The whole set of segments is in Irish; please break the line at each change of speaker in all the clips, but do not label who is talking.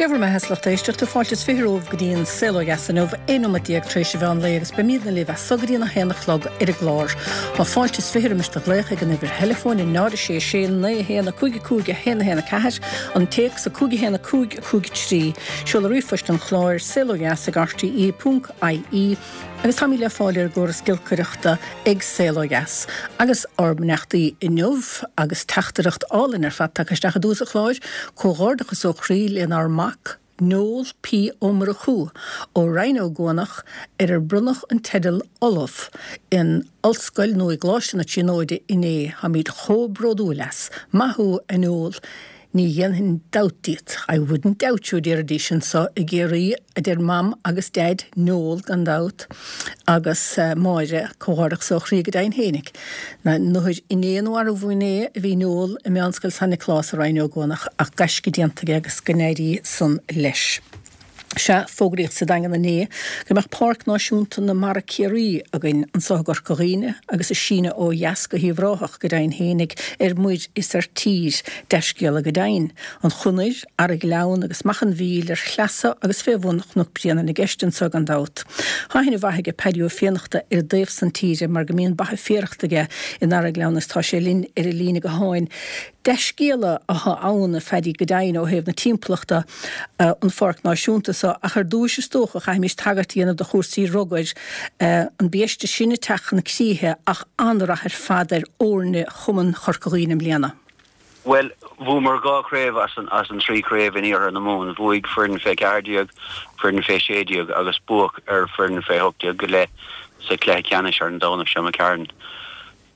Dé bhur mbeatha a lucht éisteachta, fáilte is 20 romhaibh go dtí an Saol Ó Dheas inniu, 11 nóiméad tar éis an mheán lae agus beimídne libh as so go dtí an 1 a chlog ar an gclár. Tá fáilte is 20 roimis do ghlaoch ag an uimhir theileafóin 0 6 6 9 1 5 5 1 1 4, an téacs 5 1 5 5 3, seoladh ríomhphoist an chláir, saolodheas ag rte ponc ie. Agus táimid le fáil ar an gcóras giolcaireachta ag Saol Ó Dheas. Agus ár mbeannachtaí inniu agus teachtaireacht álainn ar fad tagtha isteach i dtús an chláir, comhghairdeachas ó chroí lenár mac, Noel P. Ó Murchú, ó Rinn Ó gCuanach, ar ar bronnadh an teideal Ollamh in Ollscoil nó i gColáiste na Tríonóide inné. Táimid chomh bródúil as. Maith thú, a Noel. Ní dhéanfainn dabht díot, I wouldn't doubt you, a déarfaidís anso i gCiarraí, a deir Mam agus Deaid, Noel gan dabht, agus Máire, comhghairdeachas ó chroí go deimhin fhéinig. Nuair inné nó arú inné a bhí Noel i Meánscoil San Nioclás i Rinn Ó gCuanach ach gaisce déanta aige agus go n-éirí san leis. Sea, fógraíodh sa Daingean inné go mbeadh Páirc Náisiúnta na Mara Ciarraí againn anso i gCorca Dhuibhne agus ag síneadh ó dheas go hUíbh Ráthach go deimhin fhéinig ar muir is ar tír. Dea-scéala go deimhin. An Chonair, Araghleann agus Macha an Mhíl ar shleasa agus fé bhun Chnoc Bréanainn i gceist anso gan dabht. Tá aithne mhaith aige Paddy Ó Fiannachta ar an dtaobh san tíre mar go mbíonn ba féarachta aige in Araghleann agus tá sé linn ar an líne gutháin. Dea-scéala atá ann, a Phaddy, go deimhin, ó thaobh na timpeallachta, an Pháirc Náisiúnta so, ach ar dtúis is dócha chaithfimis tagairt a dhéanamh do chúrsaí rugair, an biaiste sin ag teacht chun críche ach an-rath ar fad ar fhoirne Chumann Chorca Dhuibhne i mbliana.
Bhuel, bhuamar 2 chraobh as an 3 chraobh in Iarthar na Mumhan. Bhuaigh foireann fé 14, foireann fé 16 agus buadh ar foireann fé 18 go leith sa chluiche ceannais ar an Domhnach seo imigh tharainn.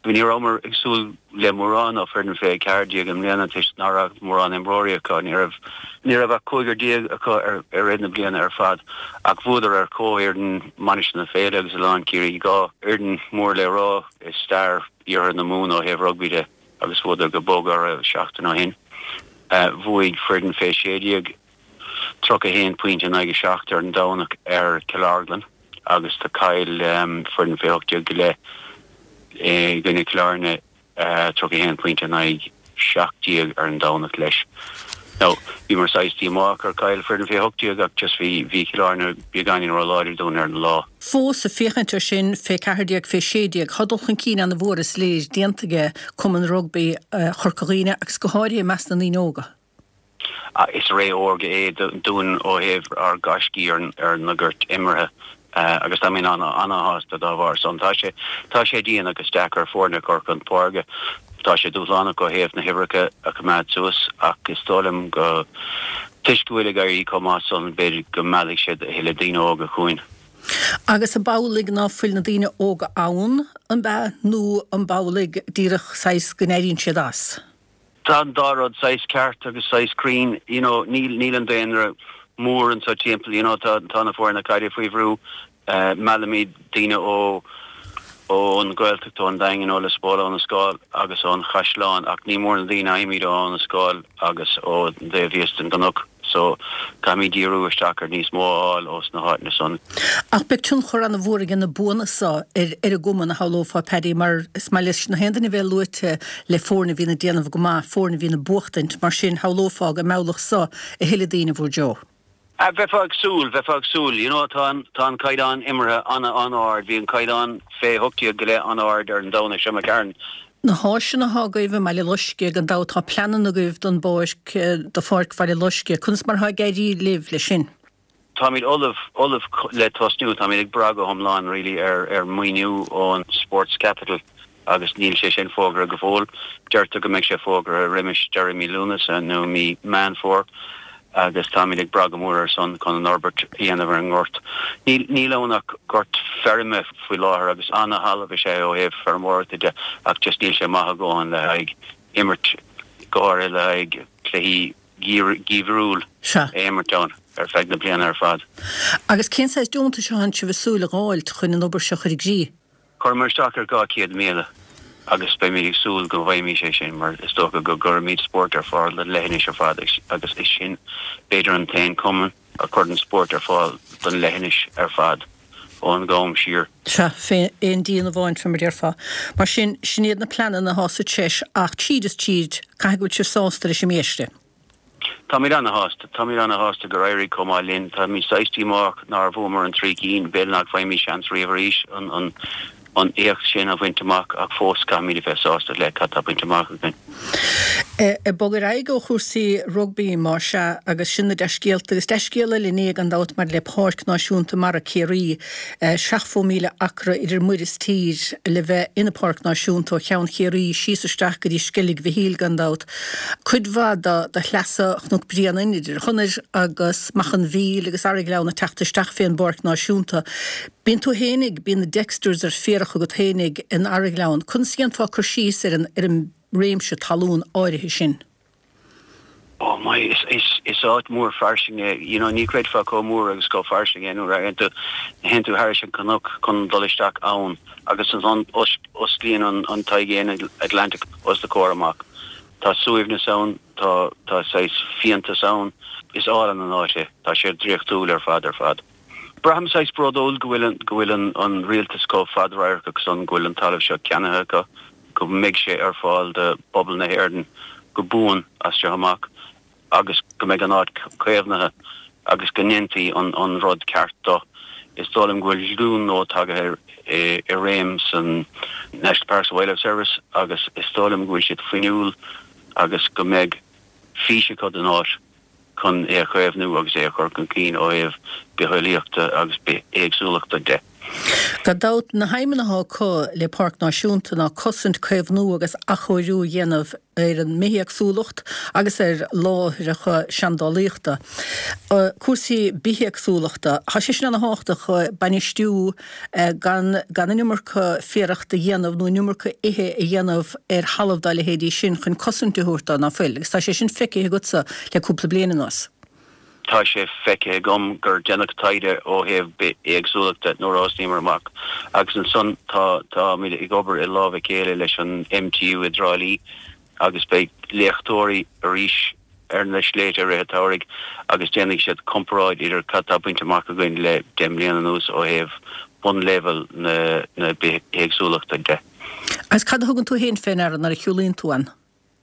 Ní rabhamar ag súil le mórán ó foireann fé 14 i mbliana toisc nach raibh mórán imreoirí acu. Ní raibh ní raibh ach cúigear déag acu ar i rith na bliana ar fad ach bhuadar ar chomhfhoireann Mainistir na Féile agus Oileán Ciarraí, 2 fhoireann mór le rá i stair Iarthar na Mumhan ó thaobh rugbaí de agus bhuadar go bog orthu seachtain ó shin. Bhuaigh foireann fé 16. 31 pointe in aghaidh 7 ar an Domhnach ar Cill Orglan agus do chaill foireann fé 18 go leith i gcoinne Chill Airne 31 pointe in aghaidh 17 ar an Domhnach leis. Now, bhíomar saghas díomách gur chaill foireann fé 18 ach just bhí bhí Cill Airne beagáinín ró-láidir dúinn ar an lá.
Fós, ag féachaint ar sin, fé 14, fé 16, tá dul chun cinn ana-mhór is léir déanta aige Cumann Rugbaí Chorca Dhuibhne agus go háirithe i measc na ndaoine óga.
Is ré órga é dúinn ó thaobh ár ngaiscí ar na goirt imeartha agus táimid ana-shásta dá bharr san. Tá sé tá sé dian agus deacair foirne a chur chun páirce. Tá sé dúshlánach ó thaobh na huimhreacha a choimeád suas ach is dóigh liom go toisc go bhfuil ag éirí chomh maith san b'fhéidir go meallfaidh siad a thuilleadh daoine óga chugainn.
Agus an amhlaidh ná fuil na daoine óga ann, an b'ea, nó an amhlaidh díreach saghas go n-éiríonn siad as?
Tá an dá rud saghas ceart agus saghas cruinn, you know, níl, níl an daonra mór anso timpeall, you know, tá, tá na foirne caide faoi bhrú, meallaimid daoine ó, ón Ghaeltacht, ón Daingean, ó Lios Póil, ón Eas Scáil agus ón Chaisleán ach ní mór na daoine a fhaighimid ó Abhainn an Scáil agus ón dtaobh thíos den gcnoc. So, caithfimid díriú isteach ar níos mó a fháil ós na háiteanna san.
Ach beidh tionchar ana-mhór aige na buanna so ar ar an gcumann, a shamhlófá, Paddy, mar is maith leis na haon duine a bheith luaite le foirne a bhíonn ag déanamh go maith, foirne a bhíonn ag buachtaint, mar sin, shamhlófá go meallfadh so a thuilleadh daoine bhur dtreo.
Bheifeá ag súil, bheifeá ag súil. You know, tá an, tá an caighdeán imeartha an-an-ard. Bhí an caighdeán fé 18 go leith an-ard ar an Domhnach seo imigh tharainn.
Na háiseanna atá agaibh i mBaile Loiscthe, gan dabht tá pleananna agaibh don bpáirc, do Pháirc Bhaile Loiscthe. Conas mar atá ag éirí libh leis sin?
Táimid ullamh, ullamh le tosnú. Táimid ag brath go hiomlán really ar, ar maoiniú ón Sports Capital agus níl sé sin fógartha go fóill. Deirtear go mbeidh sé fógartha roimis deireadh mí Lúnasa nó mí Meán Fómhair agus táimid ag brath go mór air san chun an fhorbairt a dhéanamh ar an ngort. Níl, níl ann ach gort feirme faoi láthair agus ana-thalamh is ea é ó thaobh feirmeoireachta de ach just níl sé maith a dhóthain le haghaidh imirt, go háirithe le haghaidh cluichí geimhriúil
Sea.
a imirt ann ar feadh na bliana ar fad.
Agus cén saghas deontais atánn sibh ag súil a dh'fháilt chun an obair seo a chur i gcrích?
Chuireamar isteach ar 200,000 agus beimid ag súil go bhfaighimid é sin mar is dócha go gcuirimid spórt ar fáil don leithinis ar fad agus is sinn b'fhéidir an t-aon cumann a chuireann spórt ar fáil don leithinis ar fad ón gCam siar.
Sea, fé aon díon amháin, fé mar a déarfá. Mar sin, sin iad na pleananna atá sa treis ach tríd is tríd, caithfidh go bhfuil sibh sásta leis an mbiaiste.
Táimid ana-shásta. Táimid ana-shásta gur éirigh chomh maith linn. Táimid saghas díomách nár bhuamar an trí cinn. B'fhéidir nach bhfaighimid seans riamh arís an an éacht sin a bhaint amach ach fós caithfimid a bheith sásta le cad tá bainte amach againn.
Ag bogadh ar aghaidh ó chúrsaí rugbaí más ea agus sin na dea-scéalta agus dea-scéal eile inné gan dabht maidir le Páirc Náisiúnta Mara Ciarraí, 70,000 acra idir muir is tír le bheith ina Páirc Náisiúnta ó Cheann Chiarraí síos isteach go dtí Sceilg Mhichíl gan dabht. Cuid mhaith de shleasa Chnoc Bréanainn idir Chonair agus Macha an Mhíl agus Araghleann ag teacht isteach fén bPáirc Náisiúnta. Bíonn tú fhéinig, bíonn na Dexters ar féarach agat fhéinig in Araghleann. Conas a dhéanfá cur síos ar an, ar an réimse talún áirithe sin?
Oh my, is, is, is áit mhór fairsing é. You know, ní chreidfeá chomh mór agus chomh fairsing é nuair a théann tú, théann tú thairis an cnoc chun dul isteach ann agus ansan osclaíonn an, an t-aigéan Atlantic os do chomhair amach. Tá suaimhneas ann, tá, tá saghas fiántas ann. Is álainn an áit é. Tá sé draíochtúil ar fad, ar fad. Braithim saghas bródúil go bhfuil go bhfuil an an rialtas chomh fadradharcach san, go bhfuil an talamh seo ceannaithe acu, go mbeidh sé ar fáil do phobal na hÉireann go buan as seo amach agus go mbeidh an áit caomhnaithe agus go ndéanfaí an an rud ceart dó. Is dóigh liom go bhfuil glúin nua tagaithe i réim san National Parks and Wildlife Service agus is dóigh liom go bhfuil siad fuinniúil agus go mbeidh fís acu don áit. chun é a chaomhnú agus é a chur chun cinn ó thaobh bitheolaíochta agus bithéagsúlachta de.
Gan dabht, na haidhmeanna atá acu le Páirc Náisiúnta ná cosaint, caomhnú agus athchóiriú a dhéanamh ar an mbithéagsúlacht agus ar láithreacha seandálaíochta. Cúrsaí bithéagsúlachta, tá sé sin ana-thábhachtach, bainistiú gan gan an iomarca féarachta a dhéanamh nó an iomarca ithe a dhéanamh ar thalamh dá leithéidí sin chun cosaint a thabhairt dó, ná fuil? Agus tá sé sin feicthe agatsa le cúpla bliain anuas.
Tá sé feicthe agam gur deineadh taighde ó thaobh bithéagsúlachta nuair a thosnaíomar amach agus ansan tá táimid ag obair i lámh a chéile leis an MTU i dTrá Lí agus beidh léachtóirí arís ar na sléibhte i rith an tsamhraidh agus déanfaidh siad comparáid idir cad tá bainte amach againn le 10 mbliana anuas ó thaobh bunleibhéal na bithéagsúlachta de.
Agus cad a thugann tú féin fé ndeara nuair a shiúlaíonn tú ann?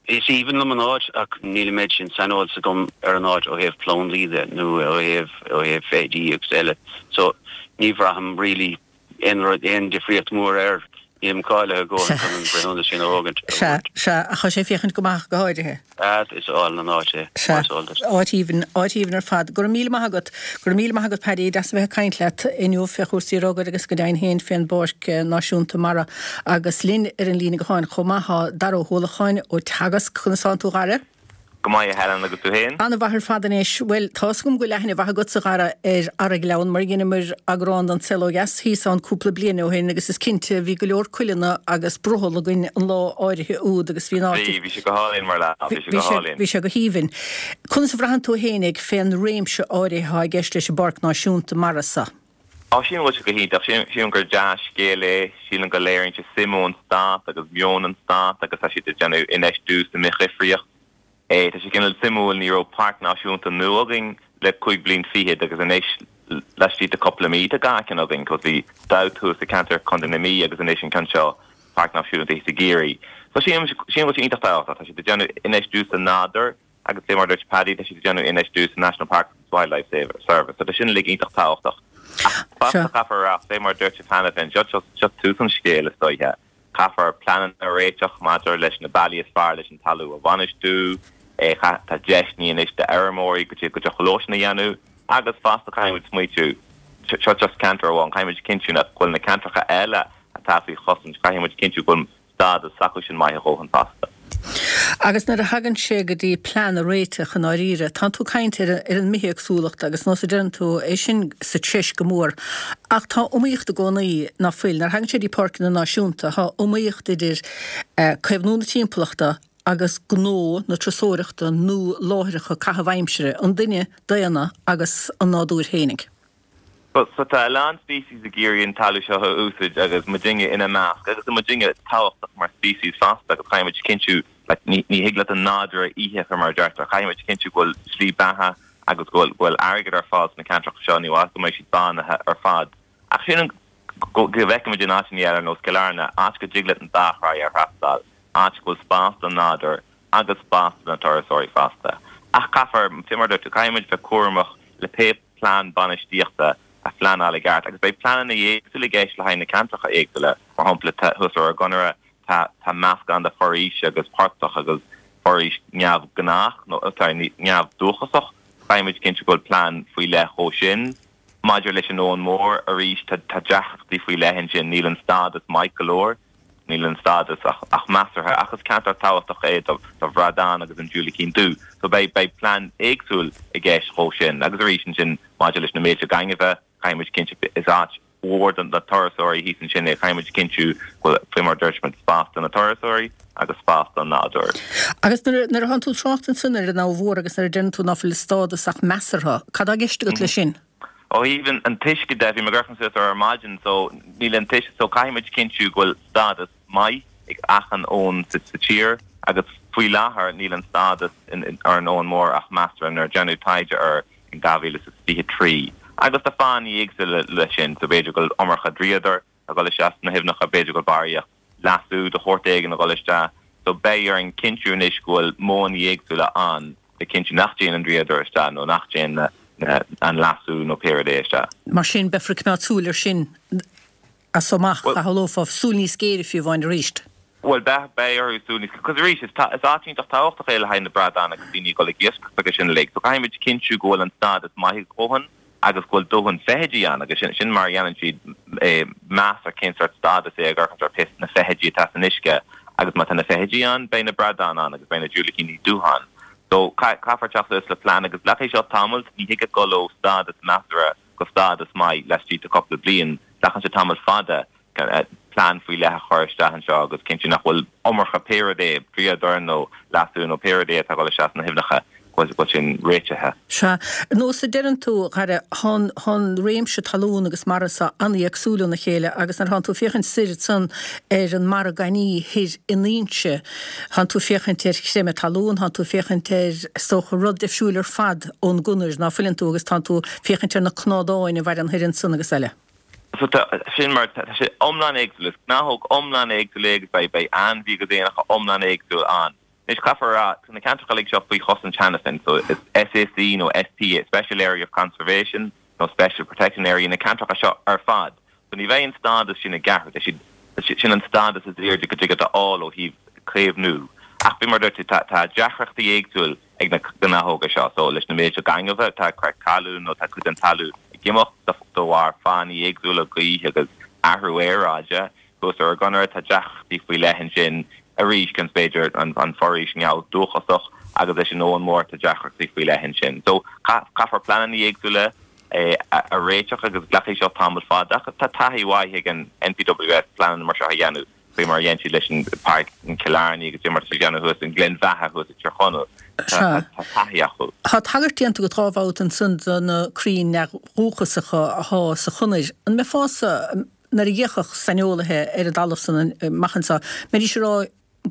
Is aoibhinn liom an áit ach níl an méid sin saineolas agam ar an áit ó thaobh plandaí de nó ó thaobh ó thaobh feithidí agus eile so ní bhraithim really aon rud, aon difríocht mhór air. Nílim cáilithe a dhóthain chun an breithiúnas sin a thógaint.
Sea, sea, ach tá sé ag féachaint go maith go háirithe.
Sea, is álainn an áit é,
Sea, mar is eol duit. áit aoibhinn, áit aoibhinn ar fad. Go raibh míle maith agat. Go raibh míle maith agat, Paddy. Deas a bheith ag caint leat inniu fé chúrsaí rugair agus go deimhin féin fén bPáirc Náisiúnta Mara. Agus linn ar an líne gutháin chomh maith tá Dara Ó hUallacháin ó Teagasc. Conas tánn tú, a Dhara?
Go maith, a Helen, agus tú féin?
An-mhaith ar fad anois. Bhuel, tá 'fhios agam go bhfuil aithne mhaith agatsa, a Dhara, ar Araghleann, mar dheineamar eagrán den Saol Ó Dheas thíos ann cúpla bliain ó shin agus is cinnte, bhí go leor cuileanna agus brothall againn an lá áirithe úd agus bhí an áit.
Bhí, bhí sé go hálainn mar lá, bhí sé go hálainn.
Bhí sé go haoibhinn. Conas a bhraitheann tú fhéinig fén réimse áirithe atá i gceist leis an bPáirc Náisiúnta Mara so?
Á, sílim go bhfuil sé go hiontach. Sílim gur dea-scéal é. Sílim go léiríonn sé suim ón stát agus meon an stáit agus tá siad ag déanamh infheistiú sa mbithdhifríocht. Tá sé cineál suimiúil, ní raibh páirc náisiúnta nua againn le cúig bliain fichead agus anois laistigh de cúpla mí tá dhá cheann againn cos bhí Dowth thuas i ceantar Chontae na Mí agus anois an ceann seo, Páirc Náisiúnta thíos i gCiarraí. So sílim go bhfuil sé iontach tábhachtach. Tá siad ag déanamh infheistiú sa nádúr. Agus fé mar a dúirt Paddy, tá siad ag déanamh infheistiú sa National Parks and Wildlife Service, so tá sin uilig iontach tábhachtach. Ach fosta caithfear a rá, fé mar a dúirt sibh cheana féin, seo seo tús an scéil is dóiche. Caithfear pleananna a réiteach maidir leis na bealaí is fearr leis an talamh a bhainistiú, tá deiseanna anois d'fheirmeoirí go dtig leo sin a dhéanamh, agus fosta caithfidh muid smaoitiú, seo just ceantar amháin, caithfidh muid cinntiú nach bhfuil na ceantracha eile atá faoi chosaint, caithfidh muid cinntiú go bhfuil stádas s'acu sin maith a dhóthain fosta.
Agus nuair a thagann sé go dtí plean a réiteach i ndáiríre, tánn tú ag caint ar ar an mbithéagsúlacht agus nós a deireann tú, é sin sa treis go mór. Ach tá iomaíocht i gcónaí, ná fuil? Nuair a thagann sé dtí páirceanna náisiúnta, tá iomaíocht idir caomhnú na timpeallachta agus gnó na turasóireachta nó láithreacha caitheamh aimsire, an duine daonna agus an nádúr fhéinig.
So tá a lán species ag iarraidh an talamh seo a úsaid agus muidinne ina measc agus tá muidinne tábhachtach mar species fosta agus caithfidh muid cinntiú like ní ní thig leat an nádúr a ithe fé mar a deirtear caithfidh muid cinntiú go bhfuil slí beatha agus go bhfuil go bhfuil airgead ar fáil sna ceantracha seo ní mhaith go mbeidh siad bánaithe ar fad ach sílim go go bhfeicimid in áiteanna eile ar nós Cill Airne áit go dtig leat an dá thráigh a thrastáil áit go bhfuil spás don nádúr agus spás do na turasóirí fosta. Ach caithfear, fé mar a dúirt tú, caithfidh muid bheith cúramach le pé plean bainistíochta a phleanáil i gceart agus beidh pleananna éagsúla i gceist le haghaidh na ceantracha éagsúla. Mar shampla, thuas ar ár gConaire tá tá meascán de foraois agus portach agus foraois neamhghnách nó sorry neamhdhúchasach. Caithfidh muid cinntiú go bhfuil plean faoi leith dhó sin. Maidir leis an Abhainn Mhór, arís tá tá deacrachtaí faoi leith ansin. Níl an stádas maith go leor. Níl an stádas ach ach measartha ach is ceantar tábhachtach é do do bhradán agus an diúilicín dubh. So beidh beidh plean éagsúil i gceist dhó sin. Agus arís ansin maidir leis na mílte gainimhe, caithfidh muid cinntiú is áit mhór do na turasóirí thíos ansin é, caithfidh muid cinntiú go bhfuil, faoi mar a dúirt muid, spás do na turasóirí agus spás don nádúr.
Agus nuair nuair atánn tú ag trácht ansin ar an Abha Mhór agus nuair a deireann tú ná fuil an stádas ach measartha, cad tá i gceist agat leis sin?
Ó thaobh an t-uisce de, bhí mé ag amharc suas air ar maidin, so níl an t-uisce, so caithfidh muid cinntiú go bhfuil stádas maith ag achan abhainn sa tír agus faoi láthair níl an stádas ar an Abhainn Mhór ach measartha nuair a déanadh taighde air in 2023. Agus tá fáthanna éagsúla leis sin, so b'fhéidir go bhfuil iomarca dríodair ag dul isteach sna haibhneacha, b'fhéidir go bhfuil barraíocht leasú de shórt éigin ag dul isteach. So beidh orainn cinntiú anois go bhfuil modhanna éagsúla ann le cinntiú nach dtéann an dríodar isteach nó nach dtéann an leasú nó pé rud é isteach.
Mar sin, beifear ag coimeád súil air sin as so amach, a shamhlófá, súil níos géire fiú amháin arís.
Bhuel, beidh, beidh orthu súil níos, cos arís, is is áit iontach tábhachtach é le haghaidh na bradán agus daoine ag dul ag iascaireacht agus sin uilig. So caithfidh muid cinntiú go bhfuil an stádas maith a dhóthain agus go bhfuil dóthain feithidí ann agus sin, sin mar a dhéanann siad meas ar cén sórt stádas é ag amharc ar pé na feithidí atá san uisce agus má tá na feithidí ann, beidh na bradáin ann agus beidh na diúilicíní dubha ann. So caithfear teacht suas le plean agus glacfaidh seo tamall, ní thig dul ó stádas measartha go stádas maith laistigh de cúpla bliain, glacann sé tamall fada plean faoi leith a chur isteach anseo agus cinntiú nach bhfuil iomarca pé rud é, dríodar nó leasú nó pé rud é atá ag dul isteach sna haibhneacha, go bhfuil sin réitithe.
Sea. Nós a deireann tú, a Dhara, thá an réimse talún agus mara so an-éagsúil óna chéile agus nuair thánn tú ag féachaint soir ansan ar an mBarra Gainní thoir in Inse, thánn tú ag féachaint ar chreimeadh talún, thánn tú ag féachaint ar, is dócha, rud difriúil ar fad ón gConair, ná fuileann tú, agus tánn tú ag féachaint ar na cnádáin a mhaireann thoir ansan agus eile.
So tá, sin mar, tá sé iomlán éagsúil, is gnáthóg iomlán éagsúil é agus beidh, beidh ainmhí agus éanacha iomlán éagsúil ann. Anois caithfear a rá, tá na ceantracha uilig seo faoi chosaint cheana féin, so is SAC nó SPA, Special Area of Conservation nó Special Protection Area na ceantracha seo ar fad. So ní bheidh an stádas sin ag athrú, tá siad, sin an stádas is airde go dtig leat a fháil ó thaobh caomhnú. Ach faoi mar a dúirt tú, tá, tá deacrachtaí éagsúil ag na gnáthóga seo. So, leis na mílte gainimhe atá ag crith talún nó tá cuid den talamh ag imeacht de bharr fáthanna éagsúla, gaoth agus athrú aeráide, thuas ar an gConair, tá deacrachtaí faoi leith ansin arís, cionn is b'fhéidir an foraois neamhdhúchasach agus leis an Abhainn Mhór tá deacrachtaí faoi leith ansin. So, caithfear pleananna éagsúla a réiteach agus glacfaidh seo tamall fada ach tá taithí mhaith ag an NPWS pleananna mar seo a dhéanamh. faoi mar a dhein siad leis an Páirc in Killarney agus mar atá siad ag déanamh thuas i nGleann Bheatha thuas i Tír Chonaill. Tá taithí acu.
Tá tagairt déanta agat dhá bhabhta ansan do na crainn neamhdhúchasacha athá sa Chonair. An mbeifeása, nuair a d'fhéachfadh saineolaithe ar an dtalamh san amach anso, mbeidís ag rá,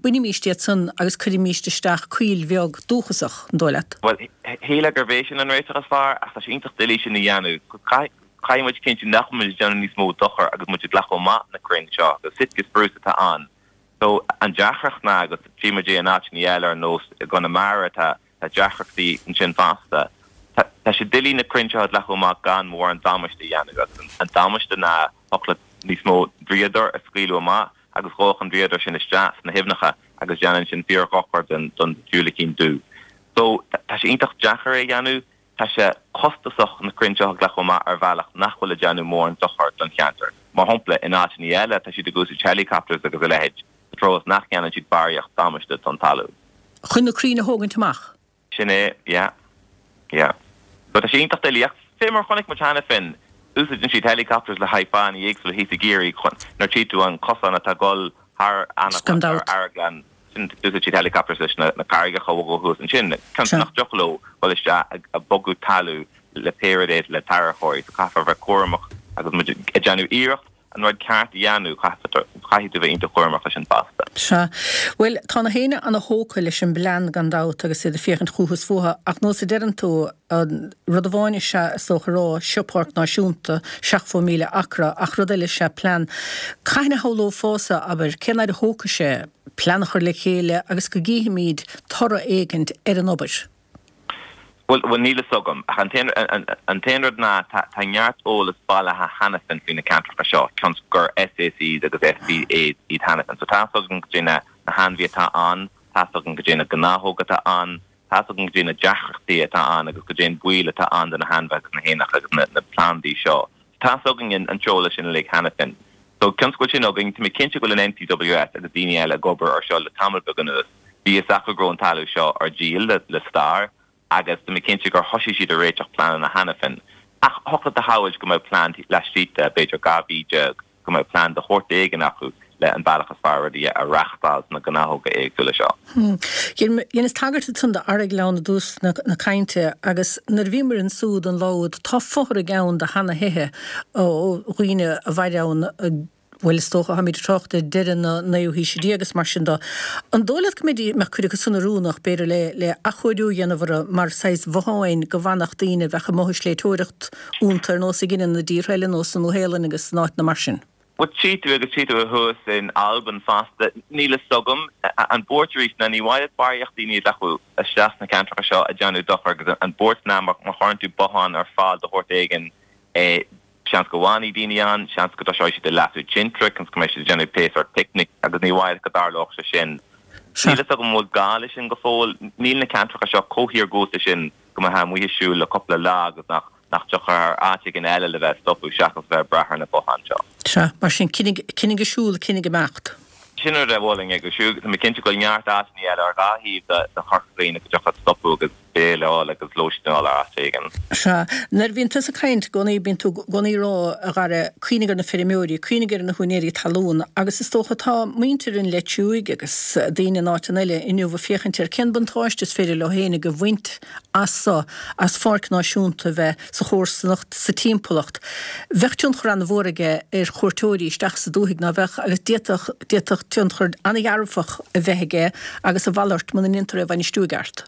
bainimíst iad san agus cuirimíst isteach coill bheag dúchasach, an dóigh leat?
Bhuel, shílfeá gurb é sin an réiteach is fearr ach tá sé iontach doiligh sin a dhéanamh. Caithfidh muid cinntiú nach bhfuil muid ag déanamh níos mó dochair agus muid ag glacadh amach na crainn seo agus Sitka spruce atá ann. So an deacracht ná agus tchí muid é in áiteanna eile ar nós i gConamara tá tá deacrachtaí ansin fosta. Tá tá sé doiligh na crainn seo a ghlacadh amach gan mórán damáiste a dhéanamh agus an an damáiste ná thiocfadh leat níos mó dríodair a scaoileadh amach agus ghabhfadh an dríodar sin isteach sna haibhneacha agus déanann sin fíor-dhochar don don diúilicín dubh. So tá sé iontach deacair é a dhéanamh. Tá sé costasach na crainn seo a ghlacadh amach ar bhealach nach bhfuil ag déanamh mórán dochair don cheantar. Mar shampla, in áiteanna eile tá siad ag úsáid helicopters agus a leithéid sa treo is nach ndéanann siad barraíocht damáiste don talamh.
Chun na crainn a thógaint amach.
Sin é, yeah. Yeah. So tá sé iontach doiligh ach fé mar a chonaic muid cheana féin, úsáideann siad helicopters le haghaidh fáthanna éagsúla thíos i gCiarraí chun, nuair tchí tú an cosán atá ag dul thar
Gan
Anaclann,
dabht.
thar Arglann, sin d'úsáid siad helicopters leis na carraigeacha a bhogadh thuas ansin, cionn is nach dtiocfadh leo dul isteach ag bogadh talamh le pé rud é le tarracóirí. So caithfear a bheith cúramach agus muid ag déanamh iarracht an rud ceart a dhéanamh, caithfidh tú bheith iontach cúramach leis sin fosta.
Sea. Bhuel, tá na héinne ana-thógtha leis an bplean gan dabht agus iad ag féachaint chucu is fúthu ach nós a deireann tú, An rud amháin is ea, is dócha a rá, seo páirc náisiúnta, 70,000 acra, ach rud eile is ea plean. Cathain a shamhlófása, abair, cén fhaid a thógfaidh sé plean a chur le chéile agus go gcífimid toradh éigint ar an obair?
Bhuel, bhuel níl fhios agam, ach an t-aon, an t-aon rud ná tá, tá neart eolas bailithe cheana féin faoi na ceantracha seo, cionn 's gur SACs agus SPAs iad cheana féin. So tá fhios againn goidé na, na hainmhithe atá ann, tá fhios againn goidé na gnáthóga atá ann, tá fhios againn goidé na deacrachtaí atá ann agus goidé an baol atá ann do na hainmhithe agus na héanacha agus na, na plandaí seo. Tá fhios againn an t-eolas sin uilig cheana féin. So cionn 's go bhfuil sin againn, tá mé cinnte go bhfuil an NPWS agus daoine eile ag obair ar seo le tamall beag anuas. Bhí fhios acu go raibh an talamh seo ar díol le, le stair agus tá mé cinnte gur thosaigh siad ag réiteach pleananna cheana féin. Ach thiocfadh leat a shamhailt go mbeadh plean laistigh de, b'fhéidir, 12 mhí, go mbeadh plean de shórt éigin acu le an bealach is fearr rudaí a reáchtáil sna gnáthóga éagsúla seo.
Dheineas tagairt ansan d'Arraig Ghleann i dtús na cainte agus nuair a bhíomar ansúd an lá úd tá fothraigh ann de sheana-thithe ó dhaoine a mhair ann, bhuel is dócha, táimid ag trácht ar deireadh na naoú haoise déag agus mar sin de. An dóigh leat go mbeidís, mbeadh cuid acu san oiriúnach, b'fhéidir, le le athchóiriú a dhéanamh orthu mar saghas bhotháin go bhfanfadh daoine a bheadh amuigh ag sléibhteoireacht iontu ar nós a dheineann i dtíortha eile, nós sa Nua-Shéalainn agus in áiteanna mar sin?
Bhuel, tchí tú agus tchí tú thuas in Albain fosta. Níl fhios agam. An buairt arís ná ní mhaith leat barraíocht daoine a ghlacadh isteach sna ceantracha seo ag déanamh dochar agus an buairt ná má chuireann tú bothán ar fáil de shórt éigin, seans go bhfanfaidh daoine ann, seans go dtosóidh siad ag lasadh tintreach, seans go mbeidh siad ag déanamh pé sórt picnic agus ní mhaith leat go dtarlódh sé sin. Níl fhios agam an bhfuil gá leis sin go fóill. Níl na ceantracha seo chomh hiargúlta sin go mbeifeá amuigh ag siúl le cúpla lá agus nach nach dtiocfá ar áit éigin eile le bheith ag stopadh seachas a bheith ag brath ar na botháin seo.
Sea, mar sin, coinnigh, coinnigh ag siúl, coinnigh ag imeacht.
Sin rud a mholfainn ag siúl. Tá mé cinnte go bhfuil neart áiteanna eile ar dhá thaobh de, de Chorca Dhuibhne go dtiocfadh leat stopadh agus béile a fháil agus lóistín a fháil ar áit éigin.
Sea. Nuair a bhíonn tusa ag caint i gcónaí, bíonn tú i gcónaí ag rá, a Dhara, cuimhnigh ar na feirmeoirí, cuimhnigh ar na húinéirí talún agus is dócha tá muintir an Leitriúigh agus daoine in áiteanna eile inniu ag féachaint ar cén buntáiste is féidir leo fhéinig a bhaint as so, as pháirc náisiúnta a bheith sa chomharsanacht, sa timpeallacht. Bheadh tionchar an-mhór aige ar chuairteoirí isteach sa dúthaigh, ná beadh, agus d'fhéadfadh, d'fhéadfadh tionchar an-dhearfach a bheith aige agus a mhalairt muna ndéantar é a bhainistiú i gceart.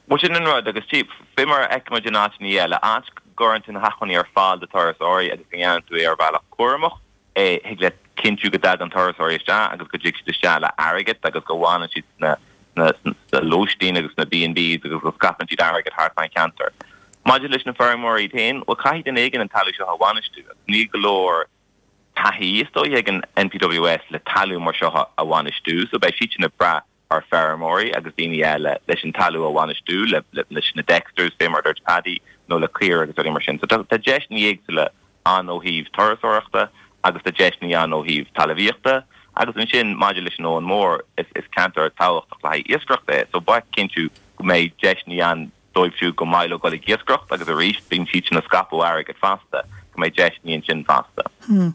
Bhuel, sin an rud, agus tí, fé mar a fheicimid in áiteanna eile, áit go gcuireann tú na hacmhainní ar fáil do turasóirí agus go ndéanann tú é ar bhealach cúramach, thig leat cinntiú go dtagann turasóirí isteach agus go dtig siad isteach le airgead agus go bhfanann siad sna sna lóistín agus sna B&Bs agus go scaipeann siad airgead thart fán cheantar. Maidir leis na feirmeoirí iad féin, bhuel caithfidh duine éigin an talamh seo a bhainistiú agus níl go leor taithí is dóigh ag an NPWS le talamh mar seo a bhainistiú so beidh siadsan ag brath ar feirmeoirí agus daoine eile leis an talamh a bhainistiú, leis na Dexters, fé mar a dúirt Paddy, nó le caoirigh agus rudaí mar sin. So tá deiseanna éagsúla ann ó thaobh turasóireachta agus tá deiseanna ann ó thaobh talamhaíochta agus ansin maidir leis an Abhainn Mhór, is ceantar tábhachtach le haghaidh iascaireachta é, so ba chinntiú go mbeidh deiseanna ann dóibh siúd go maith leo dul ag iascaireacht agus arís bíonn siadsan ag scaipeadh airgid fosta, go mbeidh deiseanna ansin fosta.
An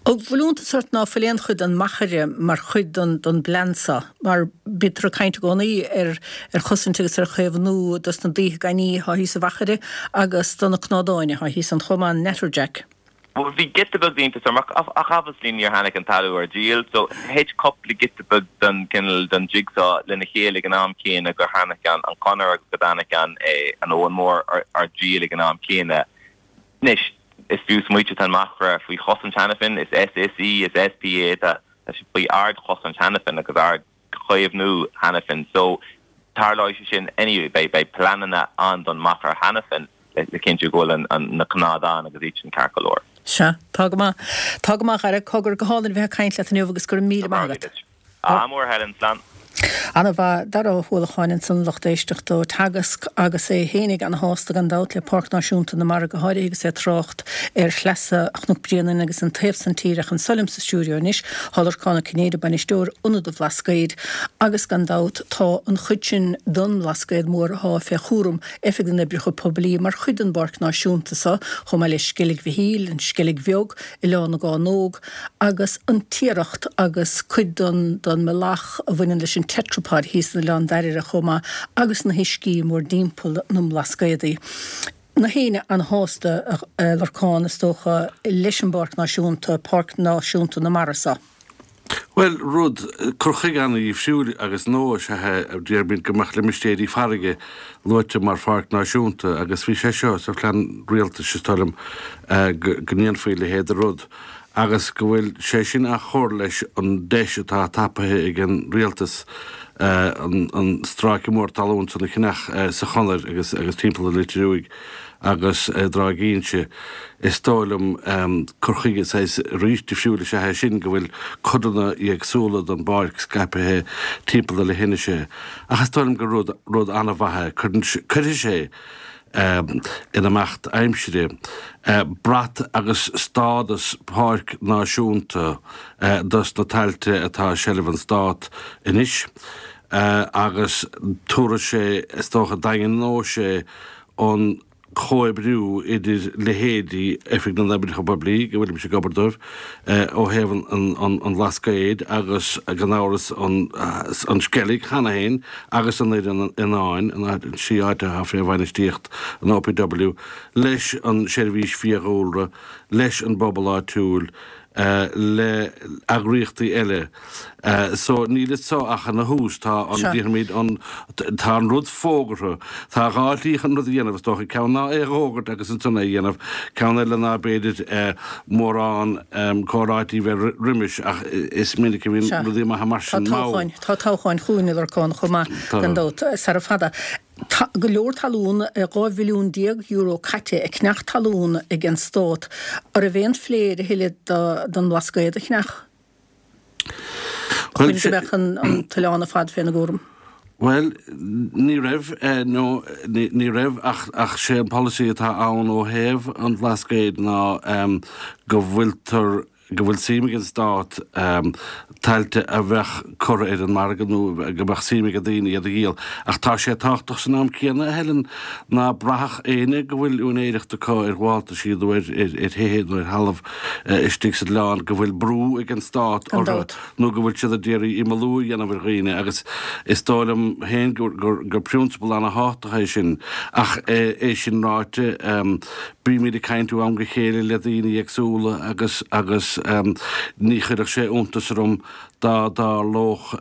bhfuil iontas ort ná fuil aon chuid den machaire mar chuid den den bplean seo? Mar bítear ag caint i gcónaí ar ar chosaint agus ar chaomhnú dos na daoithe gainní athá thíos sa mhachaire agus do na cnádáin athá thíos ann chomh maith, an natterjack.
Bhuel, bhí giota beag d'iontas orm, ach ach obviously níor tháinig an talamh ar díol, so thit cúpla giota beag den cineál den jigsaw lena chéile ag an am céanna gur tháinig an an chonair agus go dtáinig an eh an Abhainn Mhór ar ar díol ag an am céanna. Anois, is fiú smaoitiú tá an machaire faoi chosaint cheana féin, is SAC, is SPA, tá tá sé faoi ard-chosaint cheana féin agus ard chaomhnú cheana féin so tarlóidh sé sin anyway. Beidh beidh pleananna ann don machaire cheana féin le le cinntiú go bhfuil an an na cnádáin agus iad sin ceart go leor.
Sea, tá go maith. Tá go maith, a Dhara. Cogar, go hálainn a bheith ag caint leat inniu agus go raibh míle maith agat.
Ádh mór, Helen. Slán.
Ana-mhaith. Dara Ó hUallacháin ansan, lucht éisteachta ó Teagasc agus é fhéinig ana-shásta gan dabht le Páirc Náisiúnta na Mara go háirithe agus é ag trácht ar shleasa Chnoc Bréanainn agus an taobh san tíre ach anso liom sa stiúideo anois thá Lorcán Ó Cinnéide, bainisteoir Ionad an Bhlascaoid agus gan dabht tá an chuid sin don mBlascaod Mór athá fé chúram Oifig na nOibreacha Poiblí mar chuid den bPáirc Náisiúnta so, chomh maith le Sceilg Mhichíl, an Sceilg Bheag, Oileán na gCánóg agus an Tiaracht agus cuid den den mbealach a bhaineann leis an Tetrapod thíos in Oileán Dairbhre chomh maith agus na huiscí mórdtimpeall na mBlascaodaí. Na héinne an-shásta, a Lorcán, is dócha, leis an bPáirc Náisiúnta, Páirc Náisiúnta na Mara so.
Bhuel, rud, cur chuige an-dhifriúil agus nua is ea é, déarfainn go mbeadh limistéirí farraige luaite mar pháirc náisiúnta agus bhí sé seo sa phlean rialtais, is dóigh liom, go ndéanfaí a leithéid de rud. agus go bhfuil sé sin á chur leis an deis atá tapaithe ag an rialtas an stráice mór talún san a cheannach sa Chonair agus timpeall an Leitir Thuaidh agus i dTráigh Inse. Is dóigh liom cur chuige saghas arís difriúil is ea é sin, go bhfuil codanna éagsúla den bpáirc scaipthe timpeall na leithinise. Ach is dóigh liom gur rud rud an-mhaith é. Cuirfidh sé in imeacht aimsire brat agus stádas páirc náisiúnta dos na tailte atá i seilbh an Stát anois agus tabharfaidh sé, is dócha, daingneoidh sé an comhoibriú idir leithéidí Oifig na nOibreacha Poiblí, go bhfuilimse ag obair dóibh, ó thaobh an Bhlascaoid agus gan amhras an Sceilg cheana féin agus an Fhoireann Fhiáin, an trí áit atá fé bhainistíocht an OPW, leis an Seirbhís Fiadhúlra, leis an bpobal áitiúil, le heagraíochtaí eile. So níl anso ach ina thús. Tá an, déarfaimid, an, tá an rud fógartha. Tá dhá shlí chun rud a dhéanamh is dócha. Ceann ná é a fhógairt agus ansan é a dhéanamh. Ceann eile ná b'fhéidir mórán comhráití bheith roimis ach is minic a bhíonn rudaí maithe mar
sin mall. Tá toghcháin chugainn a Lorcáin chomh maith gan dabht sara fada. Tá go leor talún, €12 mhilliún caite ag ceannach talún ag an stát. An raibh aon phlé air a thuilleadh don mBlascaod a cheannach? Chun go mbeadh an t-oileán ar fad féna gcúram.
Bhuel, ní raibh, nó ní raibh ach ach sé an polasaí atá ann ó thaobh an Bhlascaoid ná go bhfuiltear, go bhfuil suim ag an Stát tailte a bheadh curtha ar an margadh nó go mbeadh suim ag daoine iad a dhíol. Ach tá sé tábhachtach san am céanna, a Helen, ná braithfeadh éinne go bhfuil úinéireacht acu ar ghabháltaisí nó ar thithe nó ar thalamh istigh san oileán go bhfuil brú ag an stát orthu nó go bhfuil siad ag iarraidh imeallú a dhéanamh ar dhaoine agus is dóigh liom féin gur prionsabal ana-thábhachtach é sin. Ach é sin ráite, bímid ag caint ó am go chéile le daoine éagsúla agus agus ní chuirfeadh sé iontas orm dá dtarlódh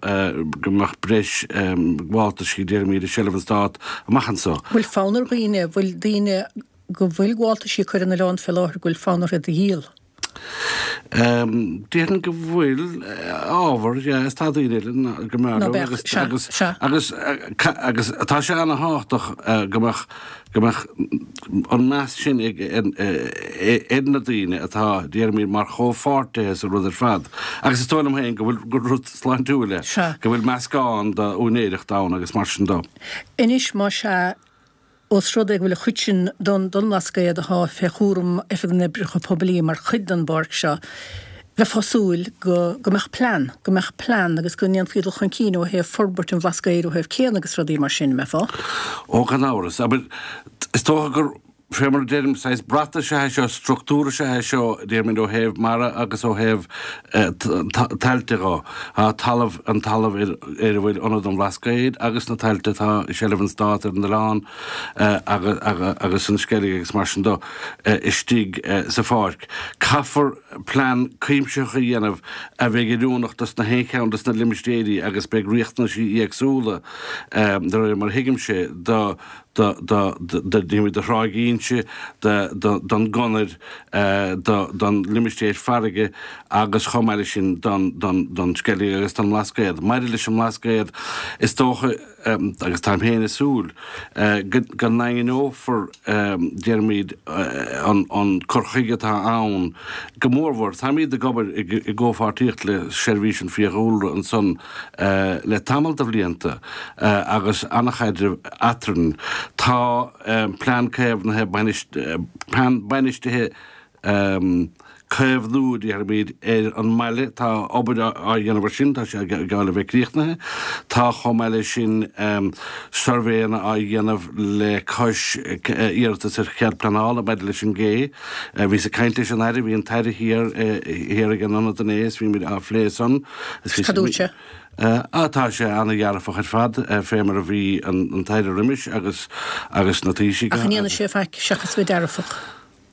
go mbeadh breis gabháltaisí, déarfaimid, i seilbh an stát amach anso.
Bhfuil fonn ar dhaoine, bhfuil daoine go bhfuil gabháltaisí acu ar an oileán fé láthair, go bhfuil fonn orthu iad a dhíol?
Déarfainn go bhfuil ábhar, yeah, is tá daoine eile go mb'fhearr leo agus, agus, agus, agus tá sé ana-thábhachtach go mbeadh, go mbeadh an meas sin ag, ar na daoine atá, déarfaimid, mar chomhpháirtithe sa rud ar fad. Agus is dóigh liom féin go bhfuil, gur rud sláintiúil é, go bhfuil meascán d'úinéireacht ann agus mar sin
de. Anois, más ea, Ós rud é go bhfuil an chuid sin don don mBlascaod atá fé chúram Oifig na nOibreacha Poiblí mar chuid den bpáirc seo, bheifeá ag súil go go mbeadh plean, go mbeadh plean agus go ndéanfaí dul chun cinn ó thaobh forbairt an Bhlascaoid ó thaobh céanna agus rudaí mar sin, an mbeifeá?
Ó, gan amhras. Abair, is dócha gur, fé mar a deirim, saghas brat is ea é seo, struchtúr is ea é seo, déarfaimid, ó thaobh mara agus ó thaobh tailte dho. Tá talamh, an talamh ar a bhfuil Ionad an Bhlascaoid agus na tailte atá i seilbh an Stát ar an oileán agus an Sceilg agus mar sin do, istigh sa pháirc. Caithfear plean cuimsitheach a dhéanamh a bheidh oiriúnach dos na haon cheann dos na limistéirí agus beidh riachtanaisí éagsúla, de réir mar a thuigimse, do do, do, do, do Thráigh Inse, do, do, don gConair, do, don limistéar farraige agus chomh maith leis sin don, don, don Sceilg agus don mBlascaod. Maidir leis an mBlascaod, is dócha, agus táim féin ag súil, go, go ndaingneofar, déarfaimid, an, an cur chuige atá ann go mórmhór. Táimid ag obair i, i gcomhpháirtíocht le Seirbhís an Fiadhúlra ansan, le tamall de bhlianta agus an-chaidreamh eadrainn. Tá plean caomhnaithe, plean bainistithe caomhnú, déarfaimid, ar an mbaile. Tá obair á dhéanamh air sin, tá sé geall le bheith críochnaithe. Tá chomh maith leis sin suirbhéanna á dhéanamh le cois iarratas ar chead pleanála maidir leis an gcé. Bhíos ag caint leis an Aire, bhí an tAire thiar thiar ag an ionad inné is bhí muid á phlé san.
Cad dúirt sé?
Ah, tá sé ana-dhearfach ar fad, fé mar a bhí an tAire roimis agus agus na Taoisigh.
Ach an ndéanfaidh sé faic seachas bheith dearfach?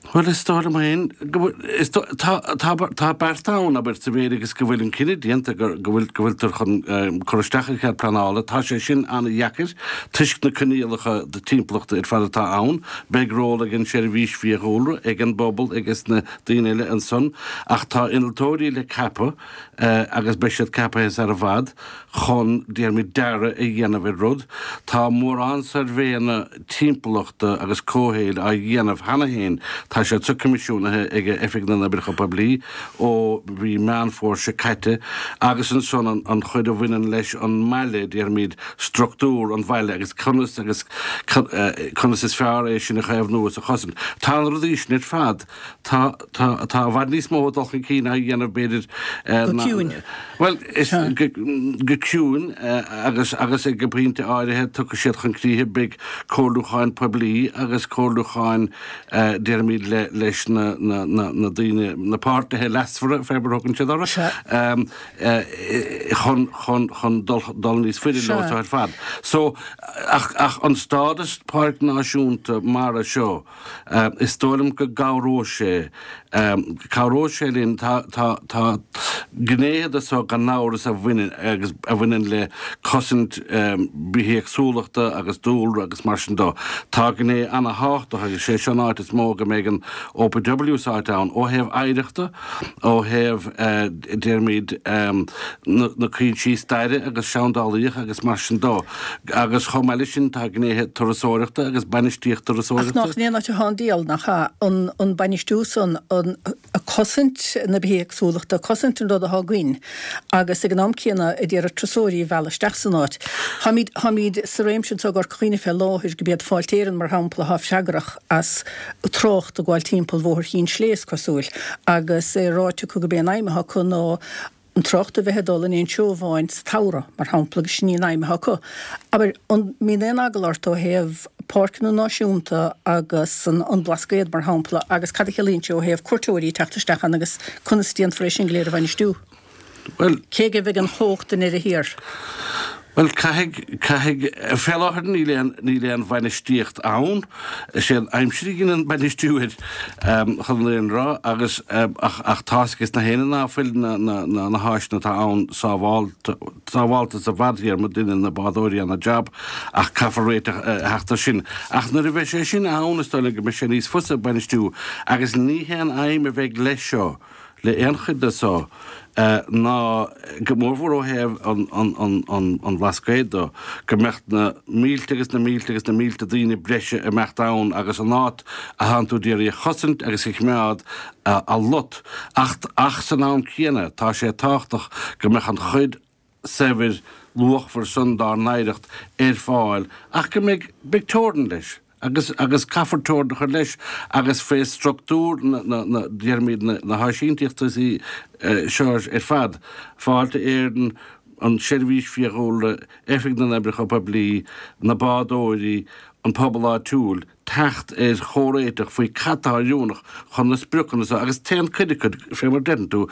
Bhuel, is dóigh liom féin go bhfuil, is dóigh, tá, tá, tá bearta ann, abair, sa mhéid agus go bhfuil an cinneadh déanta go, go bhfuil, go bhfuiltear chun cur isteach ar chead pleanála. Tá sé sin an-dheacair toisc na coinníollacha timpeallachta ar fad atá ann. Beidh ról ag an tSeirbhís Fiadhúlra, ag an bpobal agus na daoine eile ansan ach tá innealtóirí le ceapadh agus beidh siad ceapaithe sar i bhfad chun, déarfaimid, dearadh a dhéanamh ar rud. Tá mórán suirbhéanna timpeallachta agus comhshaoil á dhéanamh cheana féin. Tá siad seo coimisiúnaithe ag Oifig na nOibreacha Poiblí ó mhí Meán Fómhair seo caite agus ansan an chuid a bhaineann leis an mbaile, déarfaimid, struchtúr an bhaile agus conas agus conas is fearr é sin a chaomhnú is a chosaint. Tá na rudaí sin ar fad, tá, tá, tá i bhfad níos mó dul chun cinn á dhéanamh b'fhéidir
Go
ná,
ciúin.
bhuel, is go, go ciúin agus, agus ag an bpointe áirithe tiocfaidh siad chun críche, beidh comhairliúcháin poiblí agus comhairliúcháin déarfaimid le, leis na, na, na, na daoine, na páirtithe leasmhara, fé mar a thugann siad orthu.
Sea.
chun, chun, chun dul, dul níos faide leo
Sea.
ar fad. So, ach, ach an stádas Páirc Náisiúnta Mara seo, is dóigh liom go gcabhróidh sé, cabhróidh sé linn, tá, tá, tá gnéithe de so gan amhras a bhaineann, agus a bhaineann le cosaint bithéagsúlachta agus dúlra agus mar sin dó. Tá gné ana-thábhachtach agus sé seo an áit is mó go mbeidh an OPW sáite ann ó thaobh oidhreachta, ó thaobh, déarfaimid, na cúinsí staire agus seandálaíocha agus mar sin dó. Agus chomh maith leis sin tá gnéithe turasóireachta agus bainistíocht
Ach
turasóireachta.
nach in aon áit atá an diabhal, nach ea? An bainistiú san, an cosaint na bithéagsúlachta, cosaint an rud atá againn agus ag an am céanna ag iarraidh turasóirí a mhealladh isteach san áit. Táimid, táimid sa réimse anseo i gCorca Dhuibhne fé láthair, go b'iad Fáilte Éireann, mar shampla, atá freagrach as trácht ag gabháil timpeall Bhóthar Chinn Slé, is cosúil, agus é ráite acu gurb é an aidhm atá acu ná an trácht a bheith ag dul in aon treo amháin sa tsamhradh, mar shampla, agus sin í an aidhm atá acu. Abair, an mbíonn aon eagla ort ó thaobh páirceanna náisiúnta agus an Blascaod, mar shampla, agus cad a chiallaíonn sé ó thaobh cuairteoirí ag teacht isteach ann agus conas a déanfar é sin go léir a bhainistiú?
Bhuel.
Cé aige a bheidh an chumhacht i ndeireadh thiar?
Bhuel, caithfidh, caithfidh, fé láthair níl aon, níl aon bhainistíocht ann. Is é an aimsir a dhéanann bainistiú air, chun an fhírinne a rá, agus, ach, ach tá's ages na héinne ná fuil na, na, na, na háiseanna atá ann sábhálta, sábhálta sa bhfadtéarma, déanann na bádóirí ana-jab, ach caithfear réiteach a theacht air sin. Ach nuair a bheidh sé sin ann, is dóigh liom go mbeidh sé níos fusa bainistiú, agus ní haon aidhm a bheidh leis seo, le aon chuid de so ná, go mórmhór ó thaobh an Bhlascaoid do, go mbeadh na mílte agus na mílte agus na mílte daoine breise ag imeacht ann agus an áit a thánn tú d'iarraidh a chosaint agus a choimeád a lot. Ach, ach san am céanna, tá sé tábhachtach go mbeadh an chuid saibhir luachmhar san dár n-oidhreacht ar fáil ach go mbeidh, beidh teorainn leis agus, agus caithfear teorainn a chur leis agus fé structúr na, na, na, déarfaimid na, na háisínteachtaí seo ar fad, Fáilte Éireann, an tSeirbhís Fiadhúlra, Oifig na nOibreacha Poiblí, na bádóirí, an pobal áitiúil, teacht ar chomhréiteach faoi cad tá oiriúnach chun na spriocanna seo agus téann cuid acu, fé mar deireann tú,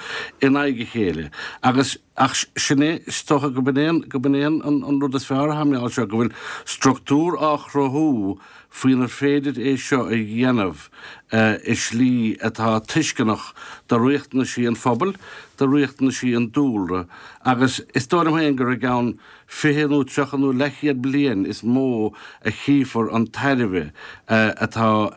in aghaidh a chéile agus ach sin é, is dócha go b'in é an, go b'in é an, an rud is fearr atá mar gheall seo, go bhfuil structúr á chruthú faoinar féidir é seo a dhéanamh i slí atá tuisceanach do riachtanaisí an phobail, do riachtanaisí an dúlra agus is dóigh liom féin gur i gceann 20 nó 30 nó leathchéad bliain is mó a chífear an tairbhe atá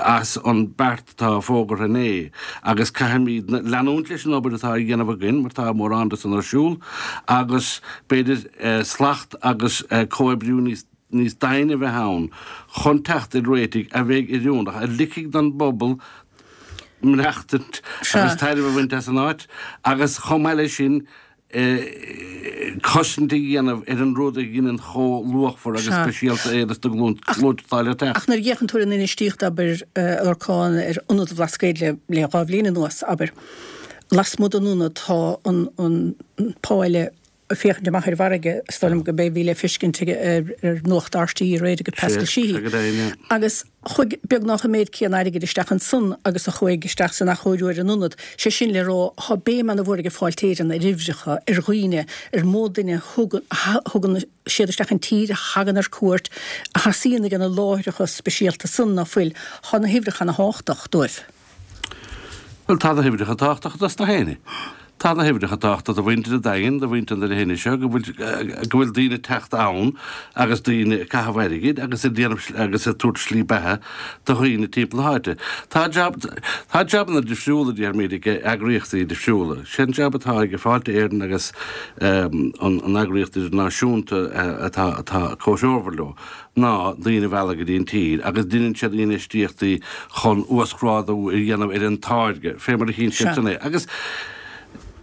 as an beart atá fógartha inné agus caithfimid leanúint leis an obair atá á dhéanamh againn mar tá mórán de san ar siúl agus b'fhéidir slacht agus comhoibriú níos níos doimhne a bheith ann chun teacht ar réitigh a bheidh oiriúnach, a ligfidh don bpobal maireachtaint agus tairbhe a bhaint as an áit agus chomh maith leis sin cosaint a dhéanamh ar an rud a dheineann chomh luachmhar agus speisialta é dos na glúnta atá le teacht.
Ach nuair a fhéachann tú ar an infheistíocht, abair, a Lorcáin, ar Ionad an Bhlascaoid le le 2 bhliain anuas, abair, lasmuigh den ionad tá an an páile. féachaint amach ar an bhfarraige, is dóigh liom go b'é a bhí le feiscint ar Nuacht RTÉ aréir ag Pascal Sheehy. Agus chuaigh beagnach an méid céanna airgid isteach ansan agus a chuaigh isteach san athchóiriú ar an ionad. Sé sin le rá, tá béim ana-mhór ag Fáilte Éireann ar uimhreacha, ar dhaoine, ar mó duine a thugann siad isteach an tír, a thagann ar cuairt, a thosaíonn ag na láithreacha speisialta san ná fuil. Tá na huimhreacha ana-thábhachtach dóibh.
Bhuel, tá na huimhreacha tábhachtach dos na héinne. Tá na huimhreacha tábhachtach do mhuintir an Daingin, do mhuintir na leithinise seo, go bhfuil, go bhfuil daoine ag teacht ann agus daoine ag caitheamh airgid agus ag déanamh, agus ag tabhairt slí beatha do dhaoine timpeall na háite. Tá jab, tá jabanna difriúla, déarfaimid, ag eagraíochtaí difriúla. Sé an jab atá ag Fáilte Éireann agus an, an eagraíocht idirnáisiúnta atá, atá comhthreomhar leo, ná daoine a mhealladh go dtí an tír agus deineann siad infheistíochtaí chun uasghrádú a dhéanamh ar an táirge, fé mar a chíonn siad san é. Agus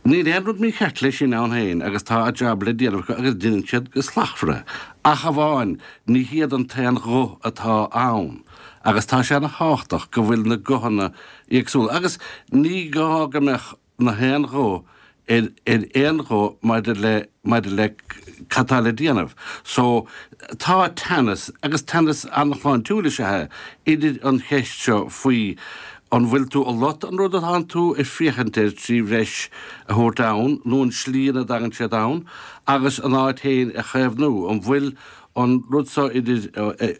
níl aon rud mícheart leis sin ann féin agus tá a jab le déanamh acu agus deineann siad go slachtmhar é. Ach amháin, ní hiad an t-aon ghuth atá ann agus tá sé ana thábhachtach go bhfuil na guthanna éagsúla agus ní gá go mbeadh na haon ghuth ar ar aon ghuth maidir le maidir le cad tá le déanamh. So, tá teannas, agus teannas an-shláintiúil is ea é, idir an cheist seo faoi an bhfuil tú ag lot an rud atánn tú ag féachaint air trí bhreis a thabhairt ann nó an slí ina dtagann siad ann agus an áit féin a chaomhnú. An bhfuil an rud seo idir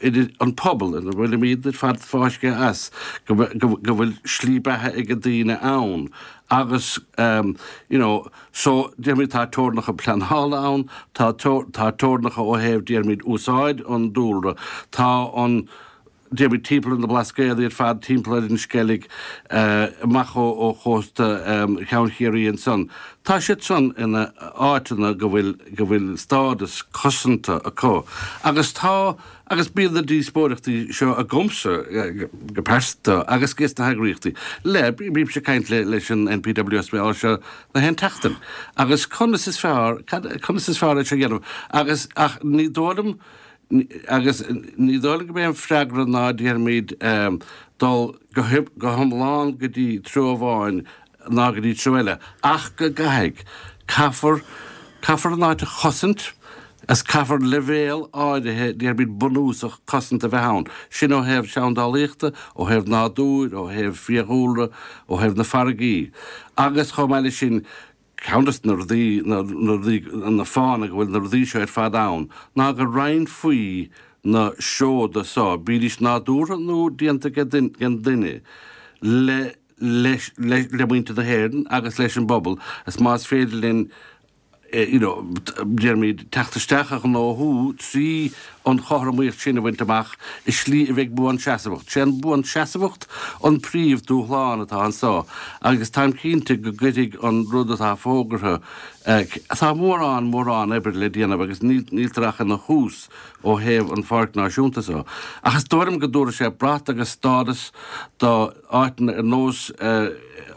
idir an pobal ina bhfuilimid ar fad fáiscthe as, go go go bhfuil slí beatha ag daoine ann agus you know so déarfaimid tá teorainneacha pleanála ann, tá tá teorainneacha ó thaobh déarfaimid úsáid an dúlra, tá an déarfaimid timpeall ar na Blascaodaí ar fad, timpeall ar an Sceilg, amach ó chósta Cheann Chiarraí ansan. Tá siad san ina áiteanna go bhfuil, go bhfuil stádas cosanta acu. Agus tá, agus bíonn na díospóireachtaí seo agamsa go pearsanta agus ges na heagraíochtaí le, bímse ag caint le, leis an NPWS mar seo na haon tseachtain. Agus conas is fearr, cad, conas is fearr é seo a dhéanamh? Agus, ach ní dóigh liom, Agus ní dóigh liom go mbeidh an freagra ná déarfaimid dul go hiomlán go dtí treo amháin ná go dtí treo eile, ach go gcaithfidh, caithfear, caithfear an áit a chosaint agus caithfear leibhéal áirithe, déarfaimid bunúsach cosanta a bheith ann. Sin ó thaobh seandálaíochta, ó thaobh nádúir, ó thaobh fiadhúlra, ó thaobh na farraigí. Agus chomh maith leis sin, Ceann de na rudaí, na rudaí, na fáthanna go bhfuil na rudaí seo ar fad ann ná go roinnfí na seoda seo, bídís nádúrtha nó déanta ag an duine, le, leis, le, le muintir na hÉireann agus leis an bpobal is más féidir linn you know, déarfaimid, teacht isteach a ghnóthú trí an chothromaíocht sin a bhaint amach i slí a bheidh buanseasmhach. Sé an buanseasmhacht an príomh dúshlán atá anso agus táim cinnte go gcuirfidh an rud atá fógartha, tá mórán, mórán oibre le déanamh agus níltear ach ina thús ó thaobh an Pháirc Náisiúnta so. Ach is dóigh liom go dtabharfaidh sé brat agus stádas do áiteanna ar nós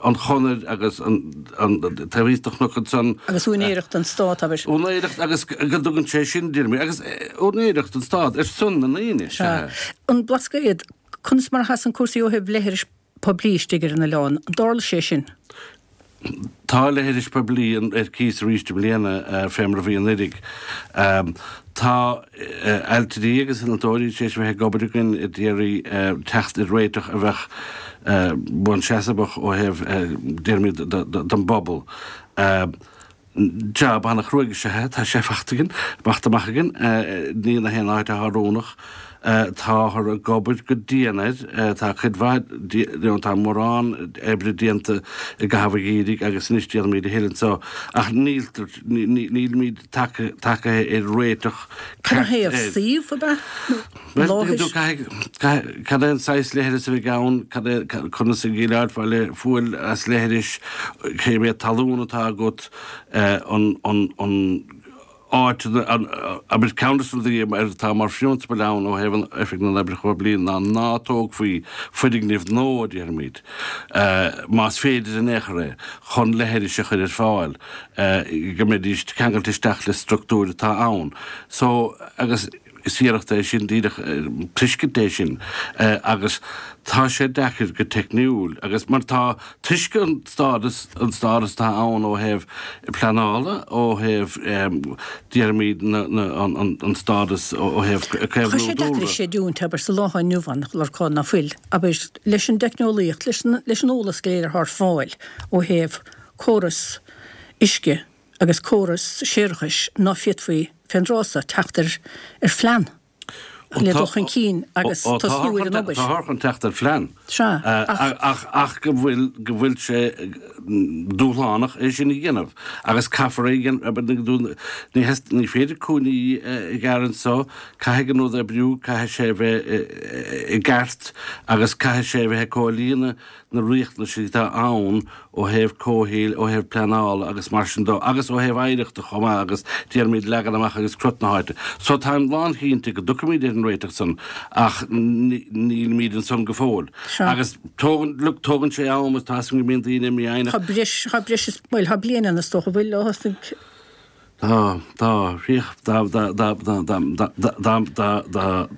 an Chonair agus an taobh thíos de chnoc ansan.
Agus úinéireacht don stát, abair.
Úinéireacht agus go dtugann sé sin, déarfainn, agus úinéireacht don stát ar son na ndaoine,
sea. An Blascaod, conas mar a sheasann cúrsaí ó thaobh leithris poiblí istigh ar an oileán? An dtarla sé sin?
Tá leithris poiblí ar cíos arís i mbliana, fé mar a bhí anuiridh. Tá ailtirí agus innealtóirí tar éis a bheith ag obair againn a d'iarraidh teacht ar réiteach a bheadh buanseasmhach ó thaobh, déarfaimid, don bpobal. Jab an-chruaidh is ea é, tá sé fachta againn, fachta amach againn, ní na haon áit atá oiriúnach. Táthar ag obair go dian air, tá cuid mhaith, tá mórán oibre déanta i gcaitheamh an gheimhridh agus anois déanfaimid a thuilleadh anso ach níltear, nílimid tagaithe ar réiteach
ceart air. Cad é suíomh ab ea?
Bhuel, tuigeann tú, caithfidh, cad é an saghas leithreas a bheidh ann, cad é, conas a dhéileálfá le fual as leithris, cé mhéad talún atá agat, an, an, an áit, an, abair, ceann de na rudaí atá mar phrionsabal ann ó thaobh an Oifig na nOibreacha Poiblí ná ná tógfaí foirgnimh nua, déarfaimid, más féidir in aon chor é, chun leithris a chur ar fáil, go mbeidís ceangailte isteach le structúir atá ann. So, agus. Is iarracht é sin, díreach tuiscint é sin agus tá sé deacair go teicniúil agus mar tá toisc an stádas, an stádas atá ann ó thaobh pleanála, ó thaobh déarfaimid an stádas ó thaobh
caomhnú dúlra. Tá sé deacair a chreidiúint, abair, sa lá atá inniu ann, a Lorcáin, ná fuil, abair, leis an dteicneolaíocht, leis an eolas go léir atá ar fáil ó thaobh córas uisce, agus córas séarachais ná féadfaí fén dtráth so teacht ar ar phlean le dul chun cinn agus tosnú ar an obair.
Táthar chun teacht ar phlean.
Sea, ach.
Ach go bhfuil, go bhfuil sé dúshlánach é sin a dhéanamh agus caithfear é a dhéanamh, ní, ní féidir cúinní a ghearradh anso, caithfidh an rud oibriú, caithfidh sé a bheith i gceart agus caithfidh sé a bheith ag comhlíonadh na riachtanais atá ann ó thaobh comhshaoil, ó thaobh pleanála agus mar sin de, agus ó thaobh oidhreachta chomh maith agus déarfaimid leagan amach agus crot na háite. So táim lánchinnte go dtiocfaimid ar an réiteach san ach nílimid ansan go fóill. Agus tógann, look, tógann sé am agus tá 'fhios agam go mbíonn daoine mífhoighneach.
Tá breis, tá breis is, bhuel, tá bliain ann is dócha, an bhfuil, ó thosnaigh.
Tá, tá, dá, dá, dá, dá, dá, dá, dá, dá, dá.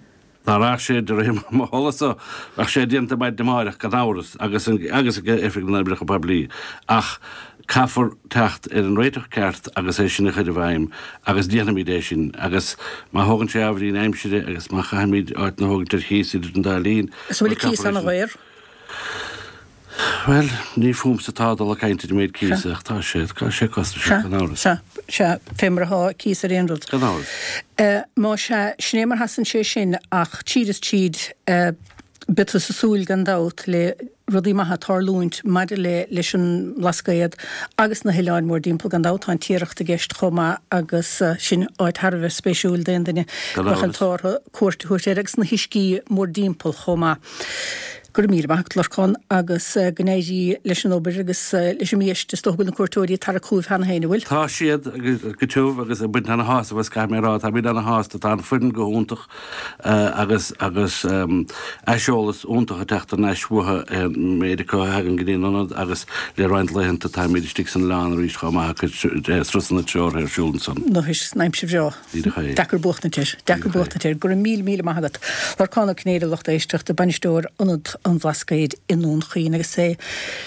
Dá rachadh sé de réir mo thola-sa, bheadh sé déanta maidin amáireach, gan amhras, agus agus ag Oifig na nOibreacha Poiblí, ach caithfear teacht ar an réiteach ceart agus é sin a chur i bhfeidhm, agus déanfaimid é sin, agus má thógann sé ábhairín aimsire agus má chaithfimid áit a thógaint ar chíos idir an dá linn,
Is bhfuil an cíos ana-dhaor?
Bhuel, ní fúmsa atá dul ag caint ar an méid cíosa, ach tá sé, tá sé costasach, gan amhras.
Sea, sea, fé mar atá cíos ar aon rud.
Gan amhras.
Má sea, sin é mar sheasann sé sin, ach tríd is tríd, beidh tusa ag súil gan dabht le rudaí maithe tarlúint maidir le leis an mBlascaod agus na hoileáin mórdtimpeall. Gan dabht tá an Tiaracht i gceist chomh maith agus sin áit thar a bheith spéisiúil d'aon duine
Gan
a mbeadh an
amhras.
t-ádh orthu cuairt a thabhairt air agus na huiscí mórdtimpeall chomh maith. Go raibh míle maith agat, Lorcán, agus go n-éirí leis an obair agus leis an mbiaiste. Is dócha go bhfuil na cuairteoirí ag tarrac chugaibh cheana féin, an bhfuil?
Tá siad go tiubh agus ag baint ana-shásamh as, caithfidh mé a rá. Táimid ana-shásta. Tá an foireann go hiontach agus agus aiseolas iontach ag teacht thar n-ais uathu, an méid acu a thagann go dtí an ionad agus le roinnt laethanta táimid istigh san oileán arís chomh maith ag cur turasanna treoraithe ar siúl ansan.
Anois, san aimsir bhreá. Deacair buachtaint air. Deacair buachtaint air. Go raibh míle, míle maith agat. Lorcán Ó Cinnéide, lucht éisteachta, Bainisteoir Ionad an Bhlascaoid i nDún Chaoin agus é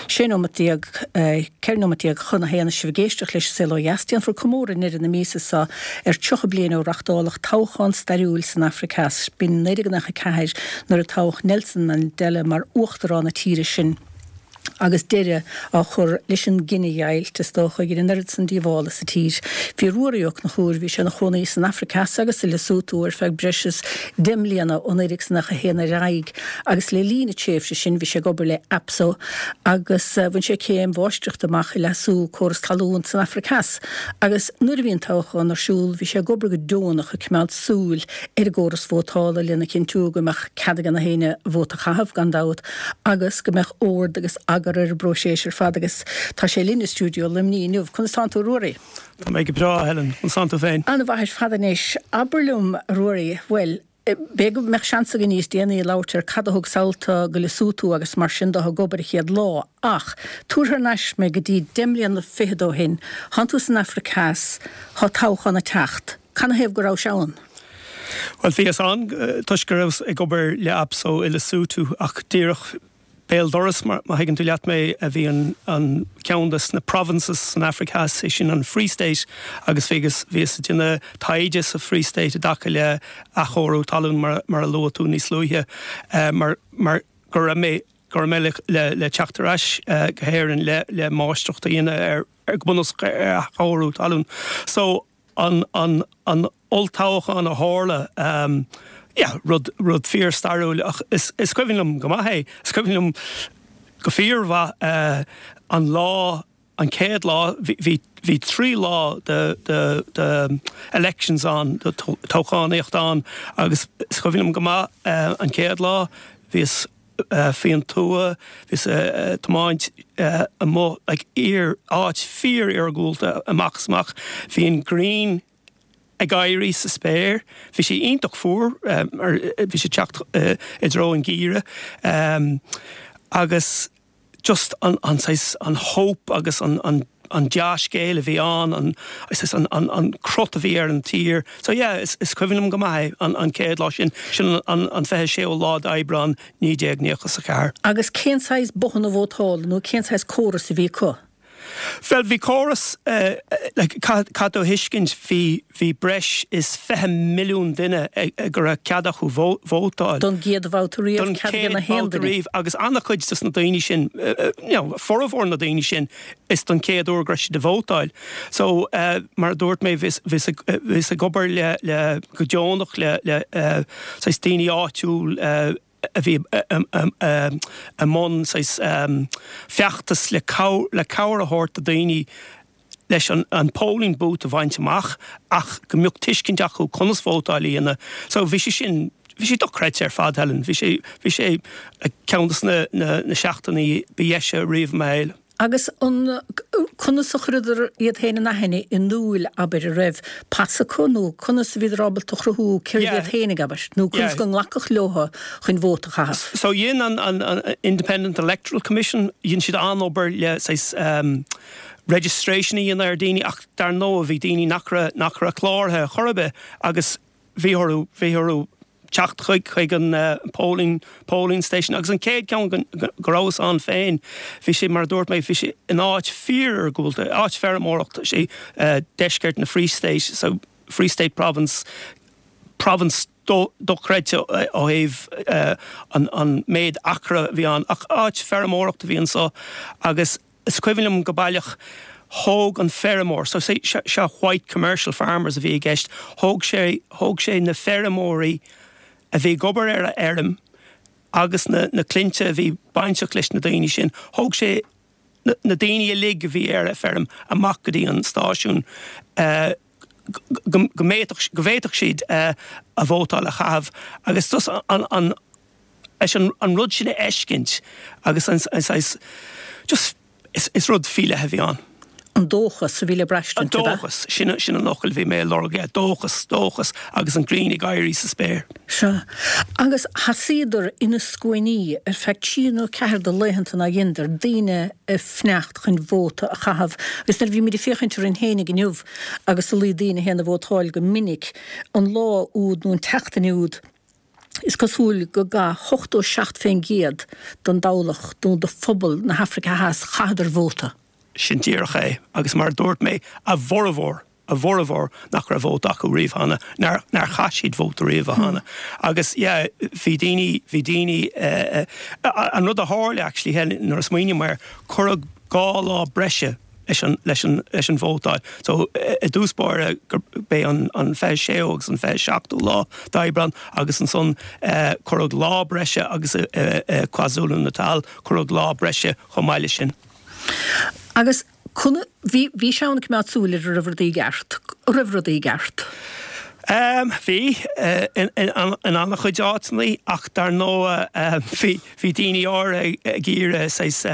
16 nóimeat, 14 nóimeat chun a haon is sibh ag éisteacht leis An Saol Ó Dheas. Déanfar comóradh i ndeireadh na míosa seo ar 30 bliain ó reachtáladh toghchán stairiúil san Afraic Theas. B'in 1994 nuair a toghadh Nelson Mandela mar uachtarán na tíre sin. agus deireadh á chur leis an gcinedheighilt, is dócha, a dhein an oiread san díobhála sa tír. Bhí Ruairí Ó Conchúir, bhí sé ina chónaí san Afraic Theas agus i Lesotho ar feadh breis is 10 mbliana ó 1991 ar aghaidh agus le linn na tréimhse sin bhí sé ag obair le APSO agus bhain sé céim mháistreachta amach i leasú córas talún san Afraic Theas agus nuair a bhí an toghchán ar siúl bhí sé ag obair go deonach ag coimeád súil ar an gcóras vótála lena chinntiú go mbeadh cead ag na héinne vóta a chaitheamh, gan dabht. agus go mbeadh ord agus eagar ar an bpróiseas ar fad agus tá sé linn i stiúideo Luimnigh inniu. Conas tánn tú, a Ruairí?
Tá mé go breá, a Helen. Conas tánn tú féin?
An-mhaith ar fad anois. Abair liom, a Ruairí, bhuel, b'fhéidir go mbeadh seans againn níos déanaí labhairt ar cad a thug sall go Lesotho agus mar sin de ag obair an chéad lá, ach tabhair thar n-ais mé go dtí deich mbliana fichead ó shin. Thánn tú san Afraic Theas, thá toghchán ag teacht. Canathaobh go rabhais ann?
Bhuel, bhíos ann toisc go rabhas ag obair le APSO i Lesotho ach díreach béal dorais, má thuigeann tú leat mé, a bhí an ceann de na provinces san Afraic Theas, sé sin an Free State agus bhíos ag déanamh taighde sa Free State i dtaca le athchóiriú talún mar a luaigh tú níos luaithe mar mar go raibh mé go raibh mé le teacht ar ais go hÉirinn le máistreacht a dhéanamh ar go bunúsach ar athchóiriú talún. So. an an an olltoghchán a tharla, yeah, rud rud fíor-stairiúil ach is is cuimhin liom go maith é. Is cuimhin liom go fíormhaith an lá, an chéad lá, bhí bhí bhí 3 lá de de de elections ann, de toghchánaíocht ann agus is cuimhin liom go maith an chéad lá, bhíos faoin tuath, bhíos ag tiomáint amuigh like ar áit fíor-iargúlta amach is amach. Bhí an ghrian ag éirí sa spéir. Bhí sé iontach fuar mar bhí sé ag teacht i dtreo an gheimhridh agus just an an saghas an hope agus an an. an dea-scéal a bhí ann, an, an, an, an crot a bhí ar an tír. So yeah, is, is cuimhin liom go maith é, an, an chéad lá sin, sin an, an 26ú lá d'Aibreán 1994.
Agus cén saghas bothanna vótála nó cén saghas córas a bhí acu?
Bhuel, bhí córas, like, caithfidh tú a thuiscint, bhí, bhí breis is 20 milliún duine go raibh cead acu vótáil.
Don gcéad bhabhta riamh,
Don
cead
chéad
ag gach aon
bhabhta
duine.
riamh, agus an-chuid dos na daoine sin, you know, formhór na daoine sin, is don chéad uair go raibh siad ag vótáil. So, mar a dúirt mé, bhíos, bhíos ag, bhíos ag obair le, le, go deonach le, le, saghas daoine áitiúil, a bhí i mbun saghas feachtas le le cabhair a thabhairt do daoine leis an polling booth a bhaint amach ach go mbeadh tuiscint acu conas vótáil a dhéanamh. So bhí sé sin, bhí sé dochreidte ar fad, Helen. Bhí sé, bhí sé ceann de na na seachtainí ba dheise riamh i mo shaol.
Agus an, conas a chuireadar iad féin in aithne, i ndúil, abair, an raibh pas acu nó conas a bhíodar ábalta a chruthú cérbh iad féinig, abair, nó conas go nglacfadh leotha chun vóta a chaitheamh?
So dhein an, an, an Independent Electoral Commission, dhein siad an-obair le saghas registration a dhéanamh ar daoine ach dar ndóigh bhí daoine nach raibh, nach raibh cláraithe chor ar bith agus bhí orthu, bhí orthu teacht chuig, chuig an polling, polling station agus an chéad ceann go, go rabhas ann féin, bhí sé, mar a dúirt mé, bhí sé in áit fíor-iargúlta, áit feirmeoireachta, sé deisceart na Free State, so Free State Province, province dochreidte ó thaobh an, an méid acra a bhí ann ach áit feirmeoireachta a bhí anso agus Is cuimhin liom go baileach, thóg an feirmeoir, so seo white commercial farmers a bhí i gceist, thóg sé, thóg sé na feirmeoirí a bhí ag obair ar a fheirm agus na, na clainnte a bhí bainteach leis na daoine sin, thóg sé na, na daoine uilig a bhí ar a feirm amach go dtí an stáisiún go, go bhféadfadh, go bhféadfadh siad a vótáil a chaitheamh agus just an, an, leis an rud sin a fheiscint agus an saghas just is rud faoi leith a bhí ann.
An dóchas a bhí le braistint,
ab ea? An dóchas, sin sin an fhocal a bhí mé ag lorg, yeah, dóchas, dóchas agus an ghrian ag éirí sa spéir.
Sea. Agus sheasaíodar ina scuainí ar feadh trí nó ceathair de laethanta nár dheineadar, daoine ag fanacht chun vóta a chaitheamh. Agus nuair a bhímid ag féachaint orainn féinig inniu agus a luí daoine a théann ag vótáil go minic, an lá úd nó an tseachtain úd, Is cosúil go gcaith 87% den dtoghlach nó de phobal na hAfraice Theas, chaitheadar vóta.
Sin díreach é. Agus mar a dúirt mé, a bhformhór, a bhformhór nach raibh vóta acu riamh cheana, nár, nár chaith siad vóta riamh cheana. Agus yeah, bhí daoine, bhí daoine, an rud a tharla actually, nuair a smaoiním air, cuireadh 2 lá breise leis an, leis an, leis an vótáil. So, i dtús báire gurb é an, an 26ú agus an 27ú lá d'Aibreán agus ansan cuireadh lá breise agus i, i KwaZulu Natal cuireadh lá breise chomh maith leis sin.
Agus conas, bhí, bhí sé ann ag coimeád súil ar an raibh rudaí i gceart, an raibh rudaí i gceart?
Bhí, in, in, in an-chuid áiteanna ach dar ndóigh bhí, bhí daoine áirithe ag iarraidh saghas,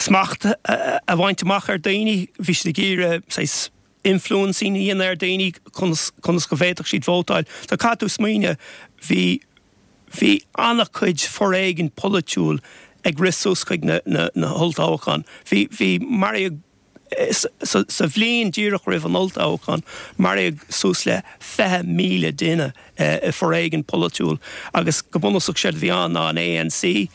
smacht a bhaint amach ar daoine. Bhí siad ag iarraidh saghas influencing a dhéanamh ar daoine conas, conas go bhféadfadh siad vótáil. So caithfidh tú smaoineamh, bhí, bhí an-chuid foréigin polaitiúil ag rith suas chuig na, na, na holltoghcháin. Bhí, bhí, maraíodh, sa, sa bhliain díreach roimh an olltoghchán, maraíodh suas le 20,000 duine i foréigean polaitiúil agus go bunúsach séard a bhí ann ná an ANC,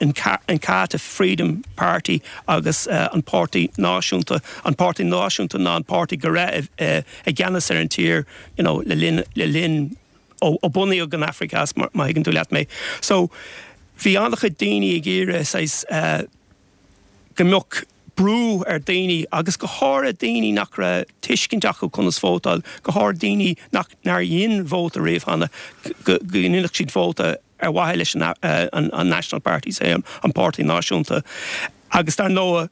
Inkatha Freedom Party agus an Páirtí Náisiúnta. An Páirtí Náisiúnta ná an páirtí go raibh i gceannas ar an tír you know le linn, le linn ó bunaíodh an Afraic Theas má thuigeann tú leat mé. So bhí an-chuid daoine ag iarraidh saghas go mbeadh brú ar daoine agus go háirithe daoine nach raibh tuiscint acu conas vótáil, go háirithe daoine nach, nár dhein vóta riamh cheana, go ndéanfadh siad vóta ar mhaithe leis an National Party, say an Páirtí Náisiúnta. Agus dar ndóigh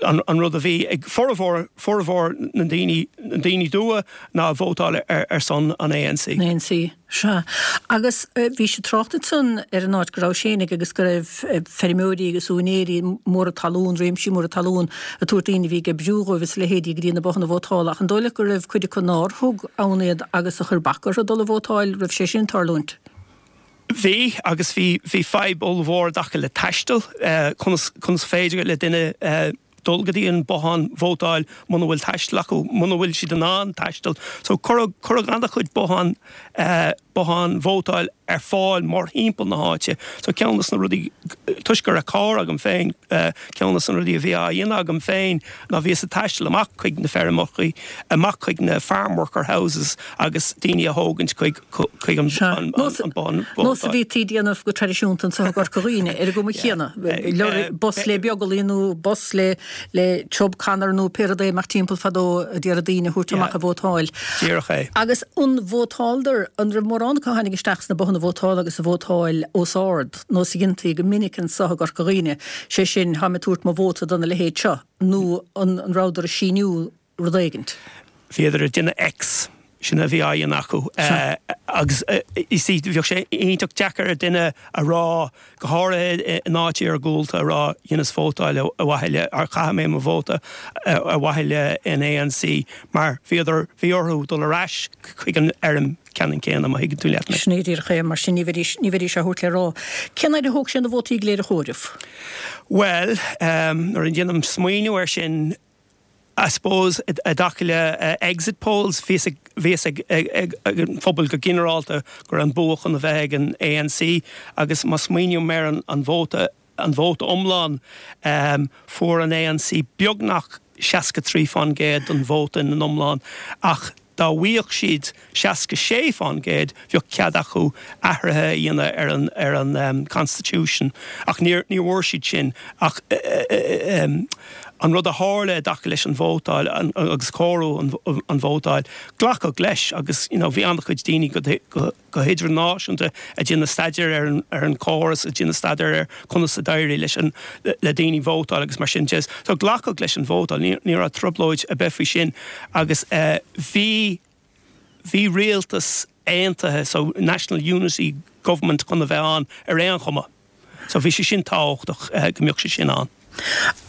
an rud a bhí ag formhór, formhór na ndaoine, na ndaoine dubha ná vótáil ar son an ANC.
ANC, sea. Agus bhí sé ag trácht ansan ar an áit go rabhais fhéinig agus go raibh feirmeoirí agus úinéirí móra talún, réimsí móra talún, ag tabhairt daoine a bhí ag oibriú dhóibh is a leithéidí go dtí na bothanna vótála. Ach an dóigh leat go raibh cuid acu nár thug ann iad agus a chuir bac orthu dul ag vótáil, raibh sé sin ag tarlúint?
Bhí, agus bhí, bhí fadhb ollmhór i dtaca le taisteal, conas, conas féidir le duine. dul go dtí an bothán vótáil muna bhfuil taisteal acu, muna bhfuil siad in ann taisteal. So cuireadh, cuireadh an-chuid bothán, bothán vótáil ar fáil mórthimpeall na háite. So ceann des na rudaí, toisc go raibh carr agam féin, ceann des na rudaí a bhí á dhéanamh agam féin ná bhíos ag taisteal amach chuig na feirmeachaí, amach chuig na farm worker houses agus daoine a thógaint chuig, chuig an bothán
vótáil. Nós a bhítí a dhéanamh go traidisiúnta anseo i gCorca Dhuibhne ar an gcuma chéanna, bus le beaglaí nó bus le le Chubb Conner nó pé rud é amach timpeall fadó a d'iarraidh daoine a thabhairt amach a vótáil.
Díreach é.
Agus an vótáladar, an raibh mórán acu a tháinig isteach sna bothanna vótála agus a vótáil os ard, nós a dhéantaí go minic anso i gCorca Dhuibhne, sé sin, táim ag tabhairt mo vóta dona leithéid seo, nó an rabhadar ag síniú rud éigint?
Bhíodar ag déanamh X, sin a bhí á dhéanamh acu. Agus you see, bheadh sé iontach deacair ar duine a rá, go háirithe in áit iargúlta, a rá dheineas vótáil ar mhaithe le, or chaith mé mo vóta ar mhaithe le an ANC, mar bhíodar, bhí orthu dul ar ais chuig an fheirm ceannann céanna, má thuigeann tú leat
mé. Sin é díreach é, mar sin ní bheidís, ní bheidís á thabhairt le rá. Cén fhaid a thóg sé na vótaí go léir a chomhaireamh?
Bhuel, nuair a dhéanaim smaoineamh air sin, I suppose i dtaca le exit polls, bhí a fhios ag an phobal go ginearálta go raibh an bua chun a bheith ag an ANC agus má smaoiním ar an vóta, an vóta iomlán, fuair an ANC beagnach 63% den vóta ina iomlán ach dá bhfaigheadh siad 66%, bheadh cead acu athruithe a dhéanamh ar an ar an constitution. Ach níor ní bhfuair siad sin. Ach an rud a tharla i dtaca leis an vótáil agus comhaireamh an vótáil, glacadh leis agus you know bhí an-chuid daoine go go go hidirnáisiúnta ag déanamh staidéir ar an ar an chóras, ag déanamh staidéir ar conas a d'éirigh leis an le daoine vótáil agus mar sin de. So glacadh leis an vótáil, ní ní raibh trioblóid ar bith faoi sin agus bhí bhí rialtas aontaithe, so National Unity Government chun a bheith ann ar aon chuma. So bhí sé sin tábhachtach go mbeadh sé sin ann.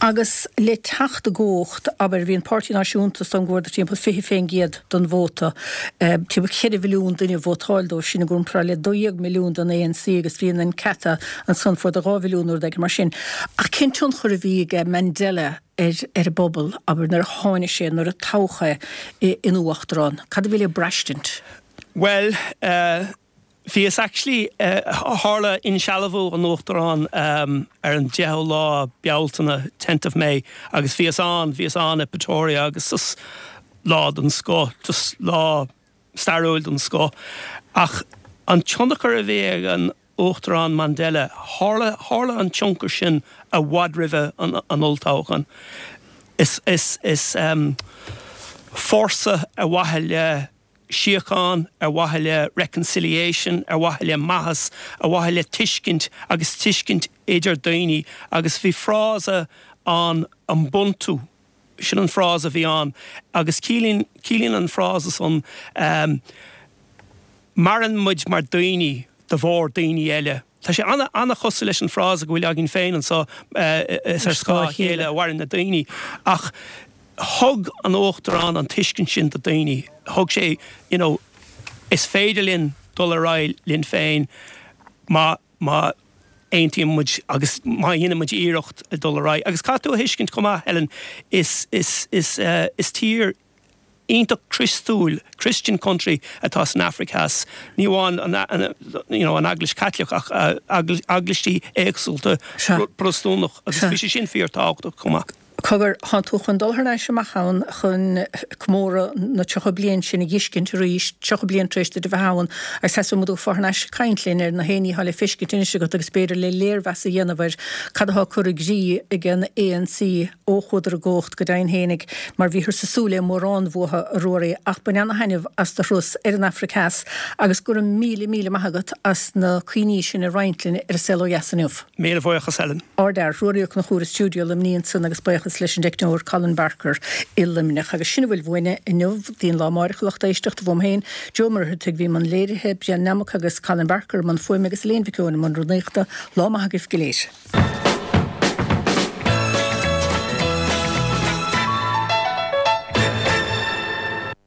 Agus le teacht i gcumhacht, abair, bhí an Páirtí Náisiúnta, is dóigh liom go bhfuaireadar timpeall 20 fén gcéad den vóta, timpeall 4 mhilliún duine a vótáil dóibh, sin i gcomparáid le 12 milliún don ANC agus bhí an Inkatha ansan, fuaireadar 2 mhilliún nó rud éigin mar sin. Ach cén tionchar a bhí aige Mandela ar ar an bpobal, abair, nuair a tháinig sé, nuair a toghadh é ina uachtarán? Cad a bhí le braistint?
Bhuel, Bhíos actually, tharla insealbhú an Uachtaráin ar an 10ú lá Bealtaine, tenth of May, agus bhíos ann, bhíos ann i Pretoria agus just lá den scoth, just lá stairiúil den scoth. Ach an tionchar a bhí ag an Uachtarán Mandela, tharla, tharla an tionchar sin i bhfad roimhe an, an olltoghchán. Is, is, is fórsa ar mhaithe le síocháin, ar mhaithe le reconciliation, ar mhaithe le maitheas, ar mhaithe le tuiscint agus tuiscint idir daoine agus bhí frása ann Ubuntu, sin an frása a bhí ann agus ciallaíonn, ciallaíonn an frása san maireann muid mar daoine de bharr daoine eile. Tá sé an-chosúil leis an frása go bhfuil againn féin anseo, is ar scáth a chéile a mhaireann na daoine. Ach thug an Uachtarán an tuiscint sin do daoine. Thug sé, you know, is féidir linn dul ar aghaidh linn féin má, má aontaíonn muid agus má dhéanann muid iarracht dul ar aghaidh. Agus caithfidh tú a thuiscint chomh maith, Helen, is, is, is, is tír, iontach Criostúil, Christian country, atá san Afraic Theas. Ní amháin an you know an Eaglais Chaitliceach ach eaglaisí éagsúlta Protastúnach agus bhí sé sin fíor tábhachtach chomh maith.
Cogar, thánn tú chun dul thar n-ais amach ann chun comóradh na 30 bliain sin a dh'fheiscint arís, 30 bliain tar éis duit a bheith ann, agus seasfaidh muid thú thar n-ais ag caint linn ar na haon ní atá le feiscint anois agat agus b'fhéidir le léirmheas a dhéanamh ar cad atá curtha i gcrích ag an ANC. Ó chuadar i gcumhacht, go deimhin fhéinig, mar bhíothas ag súil le mórán uathu, a Ruairí, ach bain ana-thaitneamh as do thuras ar an Afraic Theas agus go raibh míle, míle maith agat as na cuimhní sin a roinnt linn ar An Saol Ó Dheas inniu.
Míle buíochas, Helen.
Ardfhear, Ruairí Ó Conchúir i stiúideo Luimnigh ansan agus buíochas leis an dteicneoir Colin Barker i Luimneach. Agus sin a bhfuil uainne inniu. Go dtí an lá amáireach, a lucht éisteachta, uaim féin, Joe Ó Muircheartaigh, a bhí i mbun léirithe, Brian Nammock agus Colin Barker i mbun fuaime agus Elaine Mhic Eoin i mbun rúnaíochta. Lá maith agaibh go léir.